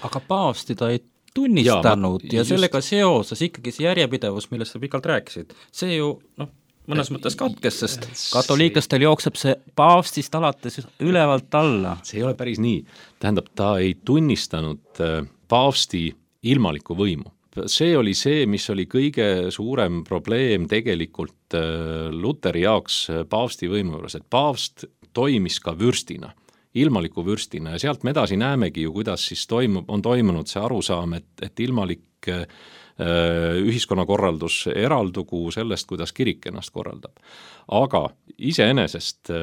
Aga paavsti ta ei tunnistanud ja, ma, ja sellega seoses ikkagi see järjepidevus, millest sa pikalt rääkisid, see ju noh, mõnes mõttes katkes, sest katoliiklastel jookseb see paavstist alates ülevalt alla. See ei ole päris nii. Tähendab, ta ei tunnistanud paavsti ilmalikku võimu. See oli see, mis oli kõige suurem probleem tegelikult Luteri jaoks paavsti võimu juures, et paavst toimis ka võrstina, ilmaliku võrstina ja sealt me edasi näemegi ju, kuidas siis toimub, on toimunud see arusaam, et, et ilmalik äh, ühiskonnakorraldus eraldugu sellest, kuidas kirik ennast korraldab. Aga iseenesest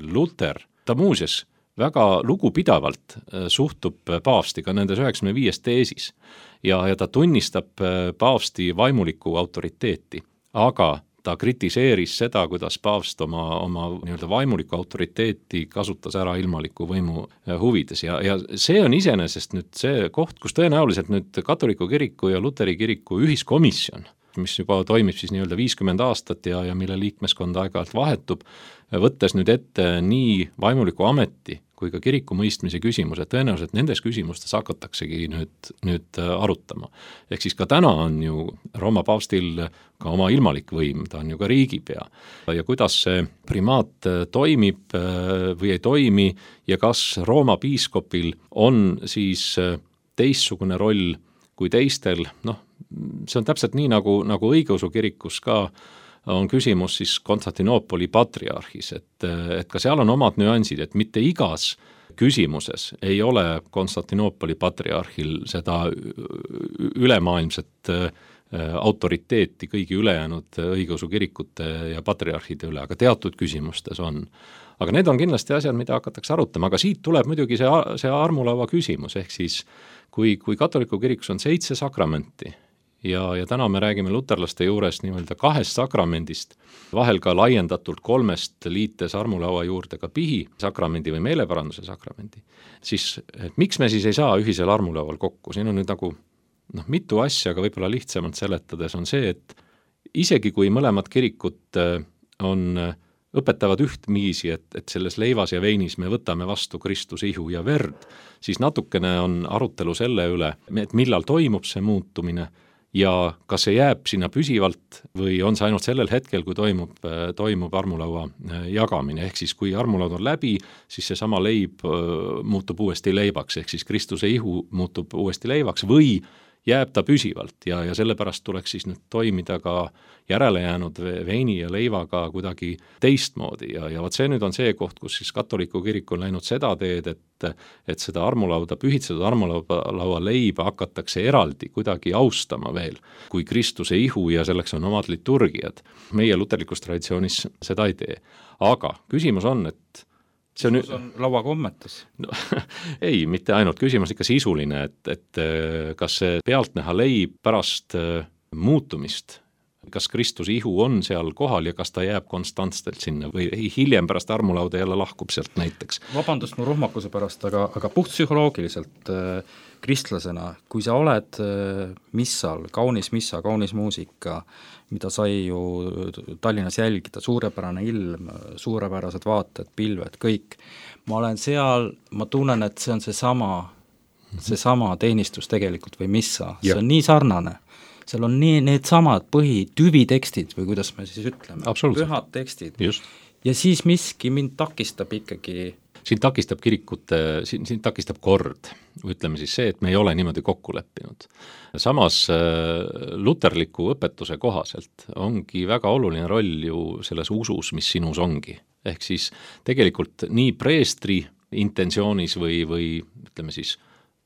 Luter, ta muuseas väga lugupidavalt suhtub paavsti ka nendes üheksakümne viies teesis ja, ja ta tunnistab paavsti vaimulikku autoriteeti, aga ta kritiseeris seda, kuidas paavst oma, oma nii-öelda vaimulikku autoriteeti kasutas ära ilmaliku võimu huvides ja, ja see on iseenesest nüüd see koht, kus tõenäoliselt nüüd katoliku kiriku ja luteri kiriku ühiskomisjon, mis juba toimib siis nii-öelda viiskümmend aastat ja, ja mille liikmeskond aeg-ajalt vahetub, võttes nüüd ette nii vaimuliku ameti kui ka kiriku mõistmise küsimused, tõenäoliselt nendes küsimustes hakataksegi nüüd, nüüd arutama. Ehk siis ka täna on ju Rooma paavstil ka oma ilmalik võim, ta on ju ka riigipea. Ja kuidas see primaat toimib või ei toimi ja kas Rooma piiskopil on siis teistsugune roll kui teistel, noh, see on täpselt nii, nagu, nagu õigeusu kirikus ka on küsimus siis Konstantinoopoli patriarhis, et, et ka seal on omad nüansid, et mitte igas küsimuses ei ole Konstantinoopoli patriarhil seda ülemaailmset autoriteeti kõigi ülejäänud õigeusu kirikute ja patriarhide üle, aga teatud küsimustes on. Aga need on kindlasti asjad, mida hakatakse arutama, aga siit tuleb muidugi see, see armulaua küsimus, ehk siis kui, kui katoliku kirikus on seitse sakramenti, ja, ja täna me räägime luterlaste juures nii-öelda kahest sakramendist, vahel ka laiendatult kolmest liites armulaua juurde ka pihi sakramendi või meeleparanduse sakramendi, siis et miks me siis ei saa ühisel armulaual kokku, siin on nüüd nagu noh, mitu asja, aga võib-olla lihtsamalt seletades on see, et isegi kui mõlemad kirikut on, õpetavad ühtviisi, et, et selles leivas ja veinis me võtame vastu Kristuse ihu ja verd, siis natukene on arutelu selle üle, et millal toimub see muutumine ja kas see jääb sinna püsivalt või on see ainult sellel hetkel, kui toimub, toimub armulaua jagamine, ehk siis kui armulaud on läbi, siis see sama leib muutub uuesti leibaks, ehk siis Kristuse ihu muutub uuesti leivaks või jääb ta püsivalt ja, ja sellepärast tuleks siis nüüd toimida ka järelejäänud veini ja leivaga kuidagi teistmoodi ja, ja vot see nüüd on see koht, kus siis katoliku kirik on läinud seda teed, et, et seda armulauda, pühitsetud armulaua leiba hakatakse eraldi kuidagi austama veel, kui Kristuse ihu ja selleks on omad liturgiad. Meie luterlikus traditsioonis seda ei tee. Aga küsimus on, et see on, on lauakommetes no, ei, mitte ainult, küsimus ikka sisuline, et, et kas see pealtnäha leib pärast muutumist, kas Kristuse ihu on seal kohal ja kas ta jääb konstantselt sinna või hiljem pärast armulauda jälle lahkub sealt näiteks. Vabandust mu ruhmakuse pärast, aga, aga puht psühholoogiliselt äh, kristlasena, kui sa oled äh, missal, kaunis missa, kaunis muusika, mida sai ju Tallinnas jälgida, suurepärane ilm, suurepärased vaated, pilved, kõik. Ma olen seal, ma tunnen, et see on see sama, see sama teenistus tegelikult või missa, see on nii sarnane. Seal on nii need samad põhi tüvitekstid või kuidas me siis ütleme, pühad tekstid. Just. Ja siis miski mind takistab ikkagi. Siin takistab kirikute, siin, siin takistab kord, ütleme siis see, et me ei ole niimoodi kokku leppinud. Samas luterliku õpetuse kohaselt ongi väga oluline roll ju selles usus, mis sinus ongi. Ehk siis tegelikult nii preestri intentsioonis või, või ütleme siis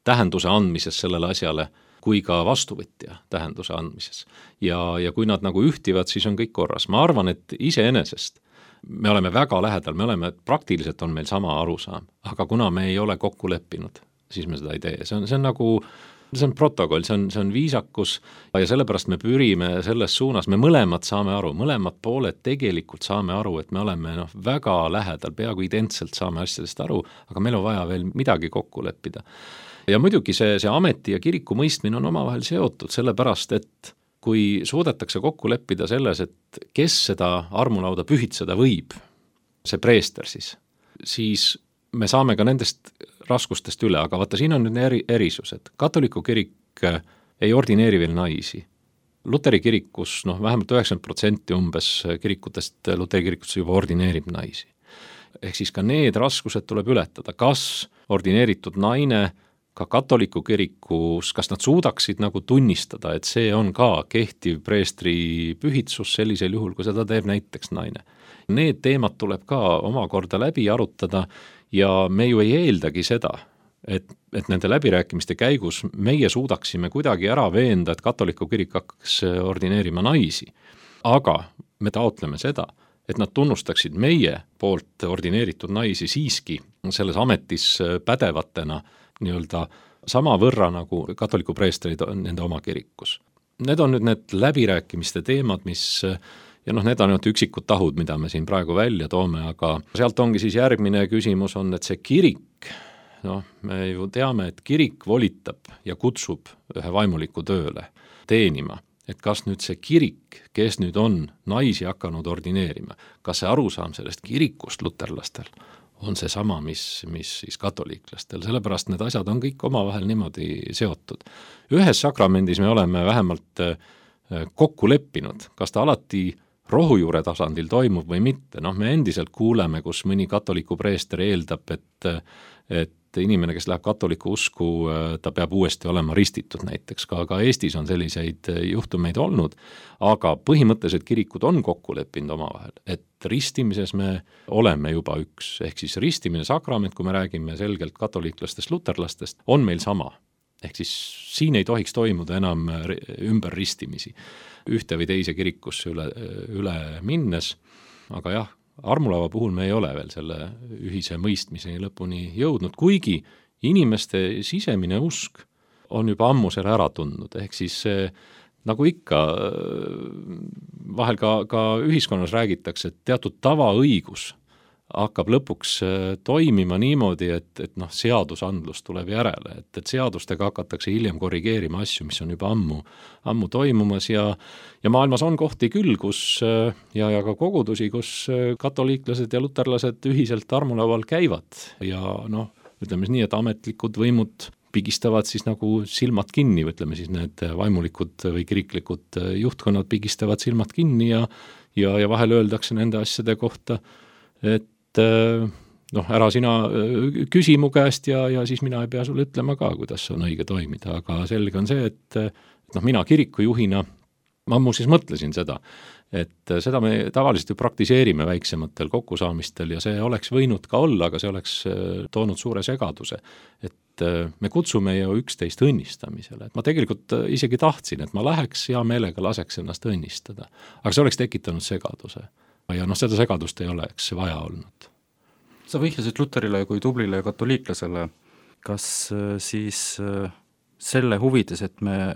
tähenduse andmises sellele asjale, kui ka vastuvõtja tähenduse andmises. Ja, ja kui nad nagu ühtivad, siis on kõik korras. Ma arvan, et iseenesest me oleme väga lähedal, me oleme, praktiliselt on meil sama arusaam, aga kuna me ei ole kokku leppinud, siis me seda ei tee. See on, see on nagu, see on protokoll, see on, see on viisakus ja sellepärast me pürime selles suunas, me mõlemad saame aru, mõlemad pooled tegelikult saame aru, et me oleme noh, väga lähedal, peaaegu identselt saame asjadest aru, aga meil on vaja veel midagi kokku leppida. Ja muidugi see, see ameti ja kiriku mõistmine on omavahel seotud, sellepärast et kui suudetakse kokku leppida selles, et kes seda armulauda pühitseda võib, see preester siis, siis me saame ka nendest raskustest üle, aga vaata, siin on nüüd eri, erisused. Katoliku kirik ei ordineeri veel naisi. Luteri kirikus, noh, vähemalt üheksakümmend protsenti umbes kirikutest, Luteri kirikutest juba ordineerib naisi. Ehk siis ka need raskused tuleb ületada. Kas ordineeritud naine ka katoliku kirikus, kas nad suudaksid nagu tunnistada, et see on ka kehtiv preestri pühitsus sellisel juhul, kui seda teeb näiteks naine. Need teemad tuleb ka omakorda läbi arutada ja me ju ei eeldagi seda, et, et nende läbirääkimiste käigus meie suudaksime kuidagi ära veenda, et katoliku kirik hakkaks ordineerima naisi. Aga me taotleme seda, et nad tunnustaksid meie poolt ordineeritud naisi siiski selles ametis pädevatena nii-öelda sama võrra nagu katoliku preestrid on nende oma kirikus. Need on nüüd need läbirääkimiste teemad, mis, ja noh, need on nüüd üksikud tahud, mida me siin praegu välja toome, aga sealt ongi siis järgmine küsimus on, et see kirik, noh, me ju teame, et kirik volitab ja kutsub ühe vaimuliku tööle teenima, et kas nüüd see kirik, kes nüüd on naisi hakanud ordineerima, kas see arusaam sellest kirikust luterlastel on see sama, mis, mis siis katoliiklastel, sellepärast need asjad on kõik omavahel niimoodi seotud. Ühes sakramendis me oleme vähemalt kokku leppinud, kas ta alati rohujuure tasandil toimub või mitte, noh me endiselt kuuleme, kus mõni katoliku preester eeldab, et, et inimene, kes läheb katoliku usku, ta peab uuesti olema ristitud näiteks, ka, ka Eestis on selliseid juhtumeid olnud, aga põhimõtteliselt kirikud on kokku leppinud omavahel, et ristimises me oleme juba üks, ehk siis ristimine sakrament, kui me räägime selgelt katoliiklastest, luterlastest, on meil sama. Ehk siis siin ei tohiks toimuda enam ümber ristimisi ühte või teise kirikusse üle, üle minnes, aga jah, armulava puhul me ei ole veel selle ühise mõistmiseni lõpuni jõudnud, kuigi inimeste sisemine usk on juba ammu selle ära tundnud, ehk siis see, nagu ikka vahel ka, ka ühiskonnas räägitakse, et teatud tavaõigus hakkab lõpuks toimima niimoodi, et, et noh, seadusandlus tuleb järele, et, et seadustega hakatakse hiljem korrigeerima asju, mis on juba ammu, ammu toimumas ja, ja maailmas on kohti küll, kus ja, ja ka kogudusi, kus katoliiklased ja luterlased ühiselt armulaual käivad ja noh, ütleme nii, et ametlikud võimud pigistavad siis nagu silmad kinni, ütleme siis need vaimulikud või kiriklikud juhtkonnad pigistavad silmad kinni ja, ja, ja vahel öeldakse nende asjade kohta, et noh, ära sina küsi mu käest ja, ja siis mina ei pea sulle ütlema ka, kuidas on õige toimida, aga selge on see, et noh, mina kirikujuhina, ma muuseas mõtlesin seda, et seda me tavaliselt ju praktiseerime väiksematel kokkusaamistel ja see oleks võinud ka olla, aga see oleks toonud suure segaduse, et me kutsume ju üksteist õnnistamisele, et ma tegelikult isegi tahtsin, et ma läheks hea meelega laseks ennast õnnistada, aga see oleks tekitanud segaduse. Ja noh, seda segadust ei oleks vaja olnud. Sa vihjasid Luterile kui tublile katoliiklasele. Kas siis selle huvides, et me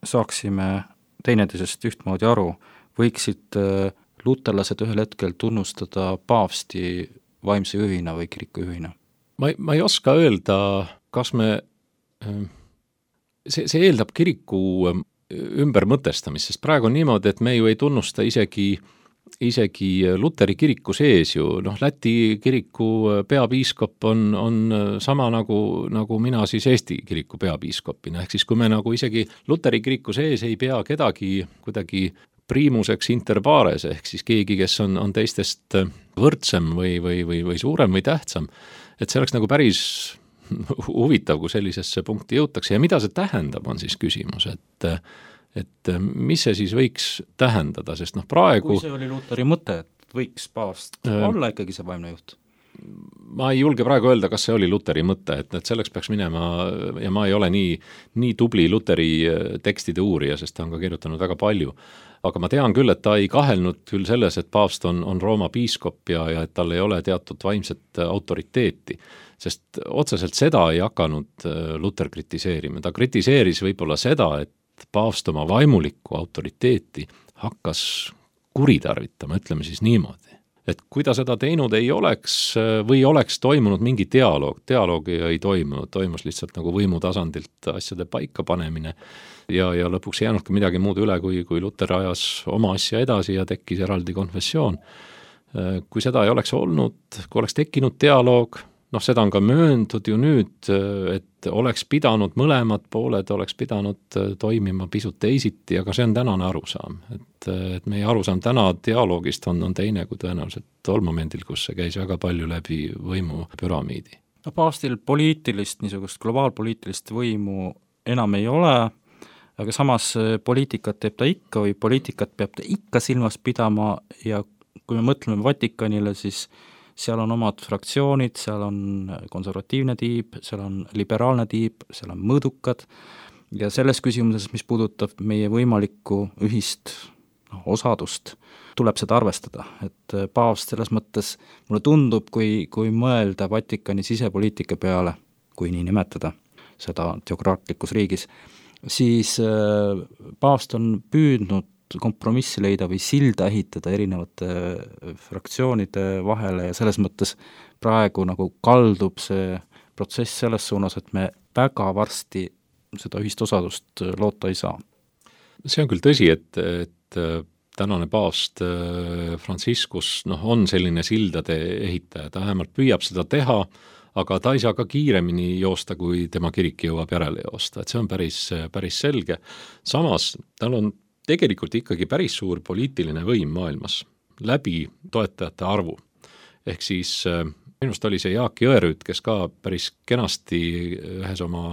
saaksime teineteisest ühtmoodi aru, võiksid luterlased ühel hetkel tunnustada paavsti vaimse juhina või kirikujuhina? Ma, ma ei oska öelda, kas me, see, see eeldab kiriku ümbermõtestamist, sest praegu on niimoodi, et me ju ei tunnusta isegi isegi Luteri kiriku sees ju, noh, Läti kiriku peapiiskop on, on sama nagu, nagu mina siis Eesti kiriku peapiiskopina, ehk siis kui me nagu isegi Luteri kiriku sees ei pea kedagi kuidagi priimuseks inter pares, ehk siis keegi, kes on, on teistest võrdsem või, või, või, või suurem või tähtsam, et see oleks nagu päris huvitav, kui sellisesse punkti jõutakse ja mida see tähendab, on siis küsimus, et et mis see siis võiks tähendada, sest noh praegu... Kui see oli Luteri mõte, et võiks paavst äh, olla ikkagi see vaimne juht? Ma ei julge praegu öelda, kas see oli Luteri mõte, et, et selleks peaks minema ja ma ei ole nii, nii tubli Luteri tekstide uurija, sest ta on ka kirjutanud väga palju. Aga ma tean küll, et ta ei kahelnud küll selles, et paavst on, on Rooma piiskop ja, ja et tal ei ole teatud vaimset autoriteeti, sest otseselt seda ei hakanud Luter kritiseerima. Ta kritiseeris võib-olla seda, et paavst oma vaimulikku autoriteeti hakkas kuritarvitama, ütleme siis niimoodi. Et kui ta seda teinud ei oleks või oleks toimunud mingi dialoog, dialoogi ei toimunud, toimus lihtsalt nagu võimu tasandilt asjade paika panemine ja, ja lõpuks ei jäänudki midagi muud üle, kui, kui Luter ajas oma asja edasi ja tekkis eraldi konfessioon. Kui seda ei oleks olnud, kui oleks tekkinud dialoog, noh, seda on ka mööndud ju nüüd, et oleks pidanud mõlemad pooled, oleks pidanud toimima pisut teisiti, aga see on tänane arusaam. Et, et meie arusaam täna dialoogist on, on teine kui tõenäoliselt tol momendil, kus see käis väga palju läbi võimu püramiidi. No paavstil poliitilist, niisugust globaalpoliitilist võimu enam ei ole, aga samas poliitikat teeb ta ikka või poliitikat peab ta ikka silmas pidama ja kui me mõtleme Vatikanile, siis seal on omad fraktsioonid, seal on konservatiivne tiib, seal on liberaalne tiib, seal on mõõdukad ja selles küsimuses, mis puudutab meie võimalikku ühist no, osadust, tuleb seda arvestada, et paavst selles mõttes mulle tundub, kui, kui mõelda Vatikani sisepoliitika peale, kui nii nimetada seda teokraatlikus riigis, siis paavst on püüdnud kompromissi leida või silda ehitada erinevate fraktsioonide vahele ja selles mõttes praegu nagu kaldub see protsess selles suunas, et me väga varsti seda ühist osadust loota ei saa. See on küll tõsi, et, et tänane paavst Franciscus noh, on selline sildade ehitaja, ta vähemalt püüab seda teha, aga ta ei saa ka kiiremini joosta, kui tema kirik jõuab järele joosta, et see on päris, päris selge. Samas tal on tegelikult ikkagi päris suur poliitiline võim maailmas läbi toetajate arvu. Ehk siis minust oli see Jaak Jõerüüt, kes ka päris kenasti ühes oma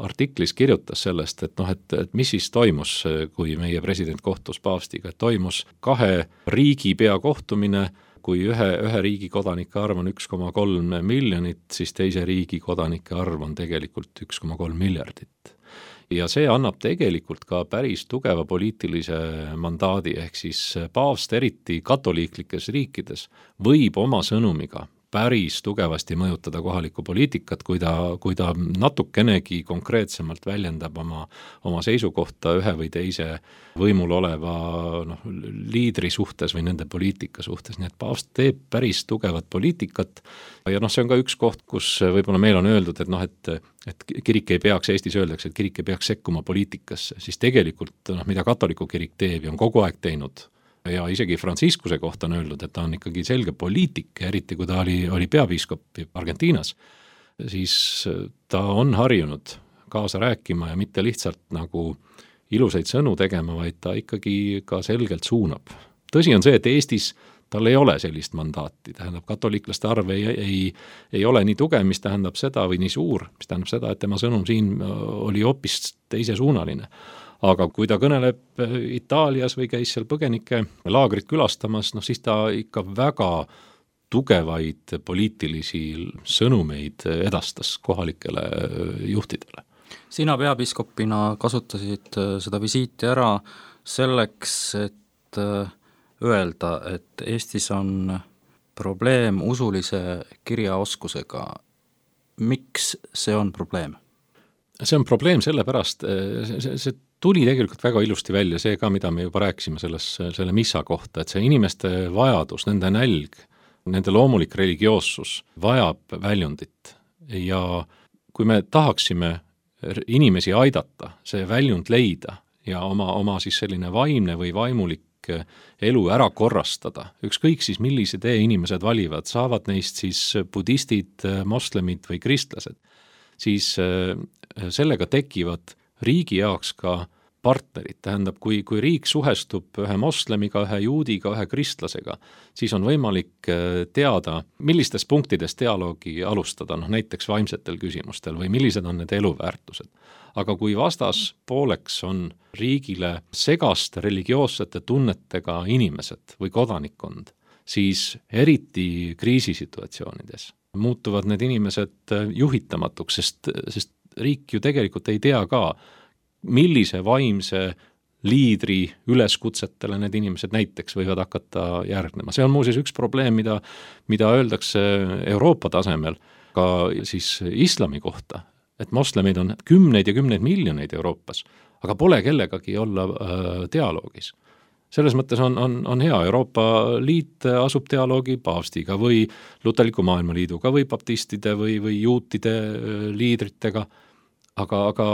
artiklis kirjutas sellest, et noh, et, et mis siis toimus, kui meie president kohtus paavstiga, et toimus kahe riigi peakohtumine, kui ühe, ühe riigi kodanike arv on üks koma kolm miljonit, siis teise riigi kodanike arv on tegelikult üks koma kolm miljardit. Ja see annab tegelikult ka päris tugeva poliitilise mandaadi, ehk siis paavst eriti katoliiklikes riikides võib oma sõnumiga päris tugevasti mõjutada kohalikku poliitikat, kui ta, kui ta natukenegi konkreetsemalt väljendab oma, oma seisukohta ühe või teise võimul oleva noh, liidri suhtes või nende poliitika suhtes, nii et paavst teeb päris tugevat poliitikat ja noh, see on ka üks koht, kus võib-olla meil on öeldud, et noh, et, et kirik ei peaks, Eestis öeldakse, et kirik ei peaks sekkuma poliitikasse, siis tegelikult noh, mida katoliku kirik teeb ja on kogu aeg teinud, ja isegi Franciscuse kohta on öeldud, et ta on ikkagi selge poliitik, eriti kui ta oli, oli peapiiskop Argentiinas, siis ta on harjunud kaasa rääkima ja mitte lihtsalt nagu ilusaid sõnu tegema, vaid ta ikkagi ka selgelt suunab. Tõsi on see, et Eestis tal ei ole sellist mandaati, tähendab katoliklaste arv ei, ei, ei ole nii tugev, mis tähendab seda, või nii suur, mis tähendab seda, et tema sõnum siin oli hoopis teisesuunaline. Aga kui ta kõneleb Itaalias või käis seal põgenike laagrit külastamas, noh siis ta ikka väga tugevaid poliitilisi sõnumeid edastas kohalikele juhtidele. Sina peapiiskopina kasutasid seda visiiti ära selleks, et öelda, et Eestis on probleem usulise kirjaoskusega. Miks see on probleem? See on probleem sellepärast, see, see tuli tegelikult väga ilusti välja, see ka, mida me juba rääkisime selles, selle missa kohta, et see inimeste vajadus, nende nälg, nende loomulik religioossus vajab väljundit ja kui me tahaksime inimesi aidata, see väljund leida ja oma, oma siis selline vaimne või vaimulik elu ära korrastada, ükskõik siis millise tee inimesed valivad, saavad neist siis budistid, moslemid või kristlased, siis sellega tekivad riigi jaoks ka partnerid, tähendab, kui, kui riik suhestub ühe moslemiga, ühe juudiga, ühe kristlasega, siis on võimalik teada, millistes punktides dialoogi alustada, noh näiteks vaimsetel küsimustel või millised on need eluväärtused. Aga kui vastas pooleks on riigile segaste religioossete tunnetega inimesed või kodanikkond, siis eriti kriisisituatsioonides muutuvad need inimesed juhitamatuks, sest, sest riik ju tegelikult ei tea ka, millise vaimse liidri üleskutsetele need inimesed näiteks võivad hakata järgnema. See on muuseas üks probleem, mida, mida öeldakse Euroopa tasemel ka siis islami kohta, et moslemeid on kümneid ja kümneid miljoneid Euroopas, aga pole kellegagi olla äh, dialoogis. Selles mõttes on, on, on hea, Euroopa Liit asub dialoogi paavstiga või Luterliku Maailmaliiduga või baptistide või, või juutide liidritega, aga, aga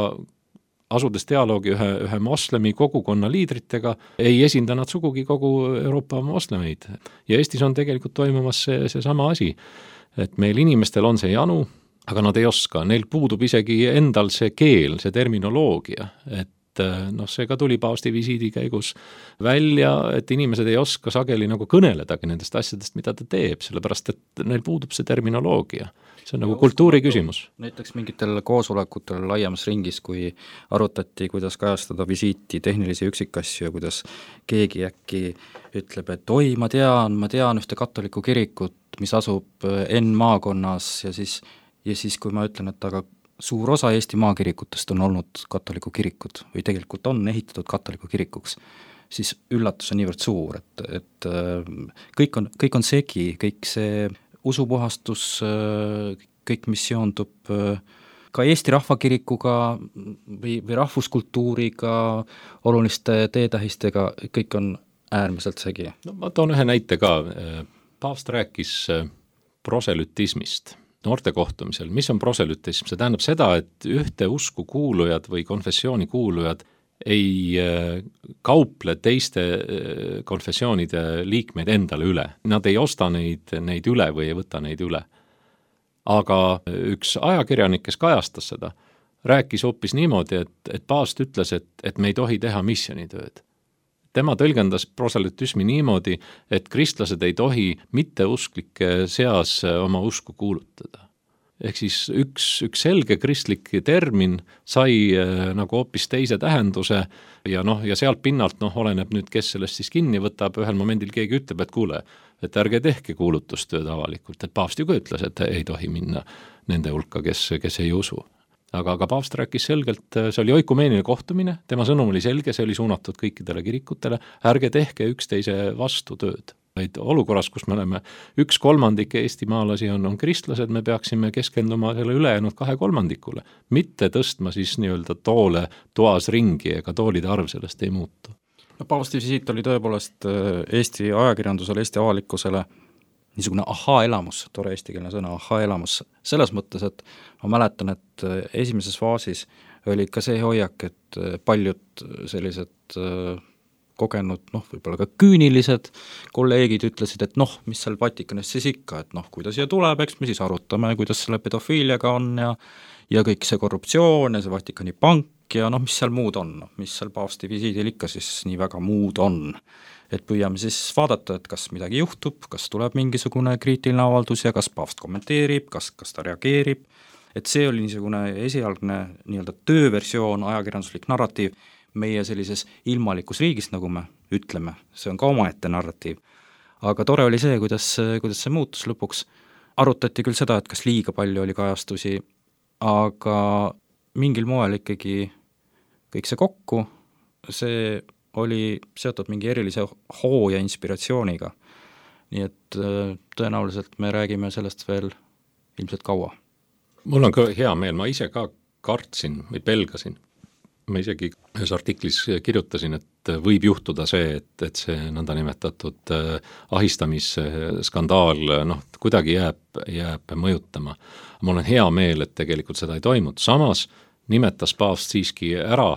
asudes dialoogi ühe, ühe moslemi kogukonna liidritega, ei esinda nad sugugi kogu Euroopa moslemeid. Ja Eestis on tegelikult toimumas see, see sama asi, et meil inimestel on see janu, aga nad ei oska, neil puudub isegi endal see keel, see terminoloogia, et noh, see ka tuli paavsti visiidi käigus välja, et inimesed ei oska sageli nagu kõneledagi nendest asjadest, mida ta teeb, sellepärast et neil puudub see terminoloogia. See on nagu kultuuri küsimus. Näiteks mingitel koosolekutel laiemas ringis, kui arutati, kuidas kajastada visiiti tehnilisi üksikasju ja kuidas keegi äkki ütleb, et oi, ma tean, ma tean ühte katoliku kirikut, mis asub N maakonnas ja siis, ja siis kui ma ütlen, et aga suur osa Eesti maakirikutest on olnud katoliku kirikud või tegelikult on ehitatud katoliku kirikuks, siis üllatus on niivõrd suur, et, et kõik on, kõik on segi, kõik see usupuhastus, kõik, mis seondub ka Eesti rahvakirikuga või, või rahvuskultuuriga, oluliste teetähistega, kõik on äärmiselt segi. No ma toon ühe näite ka. Paavst rääkis proselütismist noorte kohtumisel. Mis on proselütism? See tähendab seda, et ühte usku kuulujad või konfessiooni kuulujad ei kauple teiste konfessioonide liikmeid endale üle. Nad ei osta neid, neid üle või ei võta neid üle. Aga üks ajakirjanik, kes kajastas seda, rääkis hoopis niimoodi, et, et paavst ütles, et, et me ei tohi teha missionitööd. Tema tõlgendas proselütismi niimoodi, et kristlased ei tohi mitteusklike seas oma usku kuulutada. Ehk siis üks, üks selge kristlik termin sai äh, nagu hoopis teise tähenduse ja noh, ja sealt pinnalt noh, oleneb nüüd, kes sellest siis kinni võtab, ühel momendil keegi ütleb, et kuule, et ärge tehke kuulutustööd avalikult, et paavst ju ka ütles, et ei tohi minna nende hulka, kes, kes ei usu. Aga, aga paavst rääkis selgelt, see oli oikumeeniline kohtumine, tema sõnum oli selge, see oli suunatud kõikidele kirikutele, ärge tehke üksteise vastu tööd. vaid olukorras, kus me oleme üks kolmandik eestimaalasi on, on kristlased, me peaksime keskenduma selle ülejäänud kahe kolmandikule, mitte tõstma siis nii-öelda toole toas ringi, ega toolide arv sellest ei muutu. No, paavsti visiit oli tõepoolest Eesti ajakirjandusele, Eesti avalikkusele niisugune ahaa-elamus, tore eestikeelne sõna, ahaa-elamus, selles mõttes, et ma mäletan, et esimeses faasis oli ka see hoiak, et paljud sellised kogenud, noh, võib-olla ka küünilised kolleegid ütlesid, et noh, mis seal Vatikanist siis ikka, et noh, kui ta siia tuleb, eks me siis arutame, kuidas selle pedofiiliaga on ja ja kõik see korruptsioon ja see Vatikani pank ja noh, mis seal muud on, noh, mis seal paavsti visiidil ikka siis nii väga muud on. Et püüame siis vaadata, et kas midagi juhtub, kas tuleb mingisugune kriitiline avaldus ja kas paavst kommenteerib, kas, kas ta reageerib, et see oli niisugune esialgne nii-öelda tööversioon, ajakirjanduslik narratiiv meie sellises ilmalikus riigis, nagu me ütleme, see on ka omaette narratiiv. Aga tore oli see, kuidas, kuidas see muutus lõpuks. Arutati küll seda, et kas liiga palju oli kajastusi, aga mingil moel ikkagi kõik see kokku, see oli seotud mingi erilise hoo ja inspiratsiooniga. Nii et tõenäoliselt me räägime sellest veel ilmselt kaua. Mul on ka hea meel, ma ise ka kartsin või pelgasin. Ma isegi ühes artiklis kirjutasin, et võib juhtuda see, et, et see nõndanimetatud ahistamisskandaal noh, kuidagi jääb, jääb mõjutama. Mul on hea meel, et tegelikult seda ei toimunud. Samas nimetas paavst siiski ära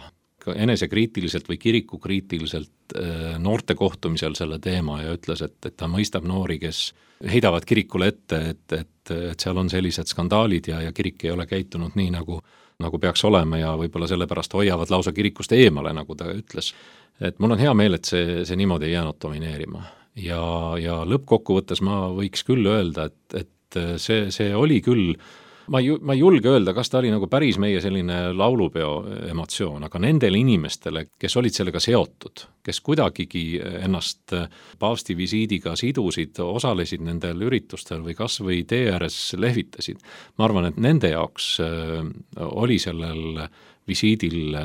enesekriitiliselt või kirikukriitiliselt noorte kohtumisel selle teema ja ütles, et, et ta mõistab noori, kes heidavad kirikule ette, et, et, et seal on sellised skandaalid ja, ja kirik ei ole käitunud nii, nagu, nagu peaks olema ja võib-olla sellepärast hoiavad lausa kirikust eemale, nagu ta ütles. Et mul on hea meel, et see, see niimoodi ei jäänud domineerima. Ja, ja lõppkokkuvõttes ma võiks küll öelda, et, et see, see oli küll Ma ei, ma ei julge öelda, kas ta oli nagu päris meie selline laulupeo emotsioon, aga nendele inimestele, kes olid sellega seotud, kes kuidagigi ennast paavsti visiidiga sidusid, osalesid nendel üritustel või kas või tee ääres lehvitasid. Ma arvan, et nende jaoks oli sellel visiidil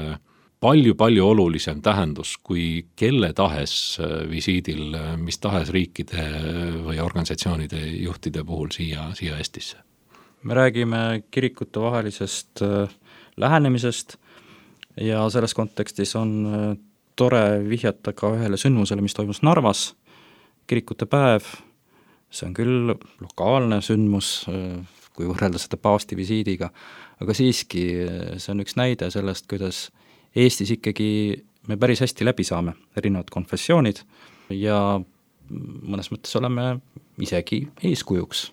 palju-palju olulisem tähendus kui kelle tahes visiidil, mis tahes riikide või organisatsioonide juhtide puhul siia, siia Eestisse. Me räägime kirikute vahelisest lähenemisest ja selles kontekstis on tore vihjata ka ühele sündmusele, mis toimus Narvas, kirikute päev. See on küll lokaalne sündmus, kui võrrelda seda paavsti visiidiga, aga siiski see on üks näide sellest, kuidas Eestis ikkagi me päris hästi läbi saame, erinevad konfessioonid ja mõnes mõttes oleme isegi eeskujuks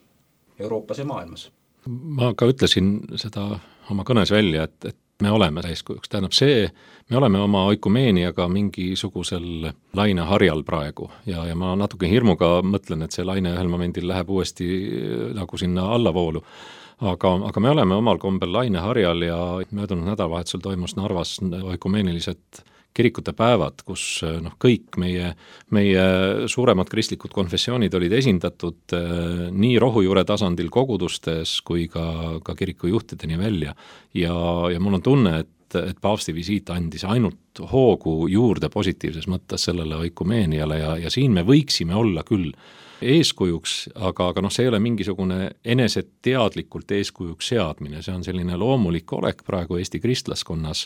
Euroopas ja maailmas. Ma ka ütlesin seda oma kõnes välja, et, et me oleme eeskujuks. Tähendab see, me oleme oma oikumeeniaga mingisugusel laineharjal praegu ja, ja ma natuke hirmuga mõtlen, et see laine ühel momendil läheb uuesti nagu sinna allavoolu. Aga, aga me oleme omal kombel laineharjal ja möödunud nädalavahetusel toimus Narvas oikumeeniliselt kirikute päevad, kus noh, kõik meie, meie suuremad kristlikud konfessioonid olid esindatud eh, nii rohujuure tasandil kogudustes kui ka, ka kirikujuhtideni välja. Ja, ja mul on tunne, et, et paavsti visiit andis ainult hoogu juurde positiivses mõttes sellele oikumeeniale ja, ja siin me võiksime olla küll eeskujuks, aga, aga noh, see ei ole mingisugune eneseteadlikult eeskujuks seadmine, see on selline loomulik olek praegu Eesti kristlaskonnas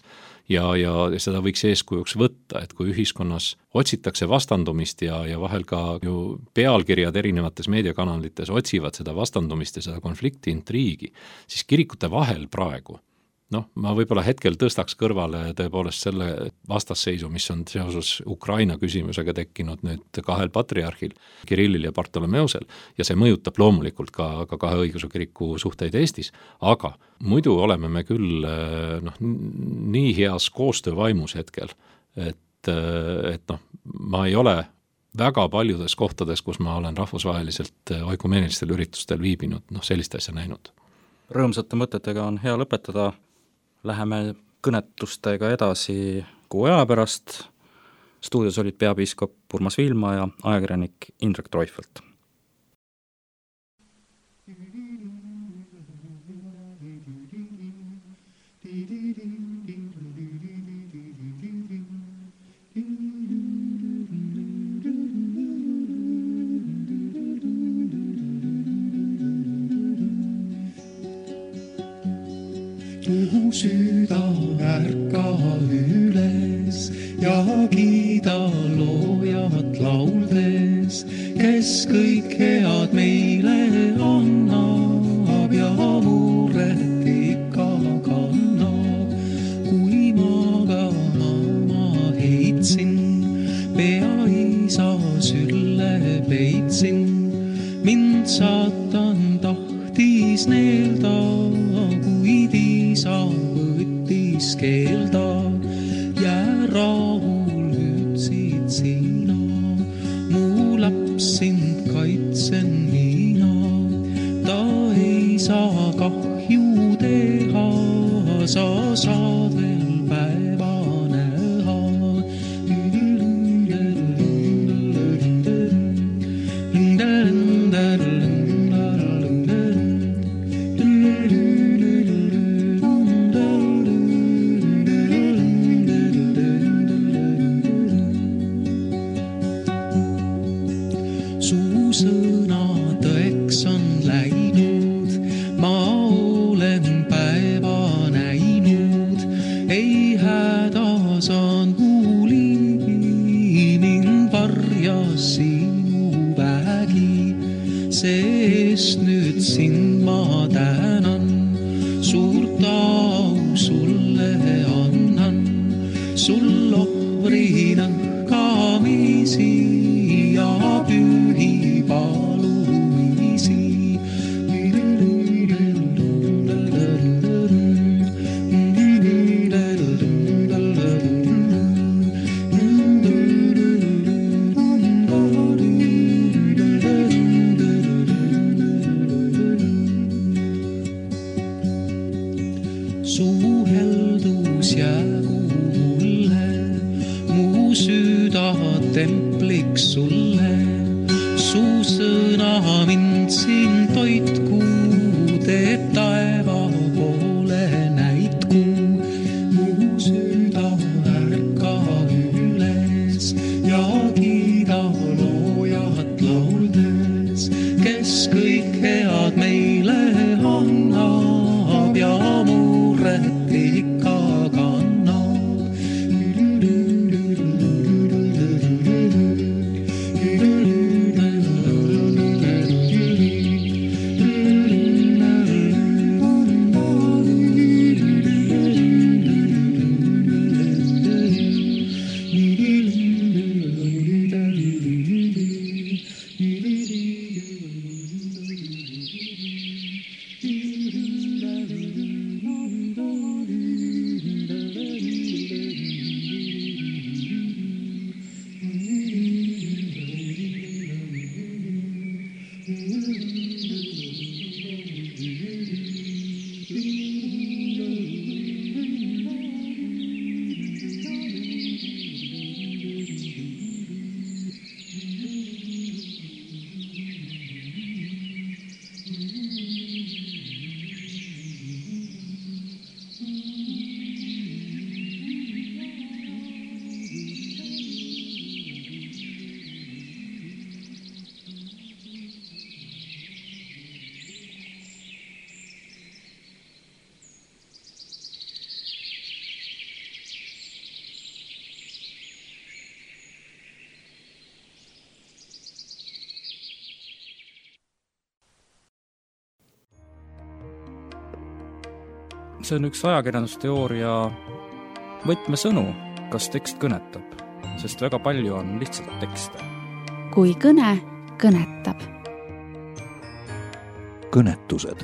ja, ja seda võiks eeskujuks võtta, et kui ühiskonnas otsitakse vastandumist ja, ja vahel ka ju pealkirjad erinevates meediakanalites otsivad seda vastandumist ja seda konflikti intriigi, siis kirikute vahel praegu noh, ma võib-olla hetkel tõstaks kõrvale tõepoolest selle vastasseisu, mis on seoses Ukraina küsimusega tekkinud nüüd kahel patriarhil, Kirillil ja Bartolomeusel, ja see mõjutab loomulikult ka, ka kahe õigeusu kiriku suhteid Eestis, aga muidu oleme me küll noh, nii heas koostöövaimus hetkel, et, et noh, ma ei ole väga paljudes kohtades, kus ma olen rahvusvaheliselt oikumeenistel üritustel viibinud, noh sellist asja näinud. Rõõmsate mõtetega on hea lõpetada. Läheme kõnetustega edasi kuu aja pärast. Stuudios olid peapiiskop Urmas Viilma ja ajakirjanik Indrek Treufelt. mu süda ärka üles ja kiida loojat lauldes, kes kõik head meile annab ja muret ikka kannab. Kui magama ma heitsin, pea isa sülle peitsin, mind saatan tahtis neelda, kuid isa võttis keelda. Jää rahul ütsid sina, mu laps sind kaitsen mina. Ta ei saa kahju teha, sa saad veel päeva näha. Su sõna tõeks on läinud, ma olen päeva näinud. Ei hädas on huuli, mind varjas sinu vägi. Seest nüüd sind ma tänan, suurt au sulle annan. Sul ohvrina kamisi ja pühi palumisi. Su heldus jäägu mulle, mu süda templiks sulle. Su sõna mind siin toitku, teeb taeva poole näitku. Mu süda ärka üles ja kiida loojat lauldes, kes kõik head meile annab ja muret ikka kannab. See on üks ajakirjandusteooria võtmesõnu, kas tekst kõnetab, sest väga palju on lihtsalt tekste. Kui kõne kõnetab. Kõnetused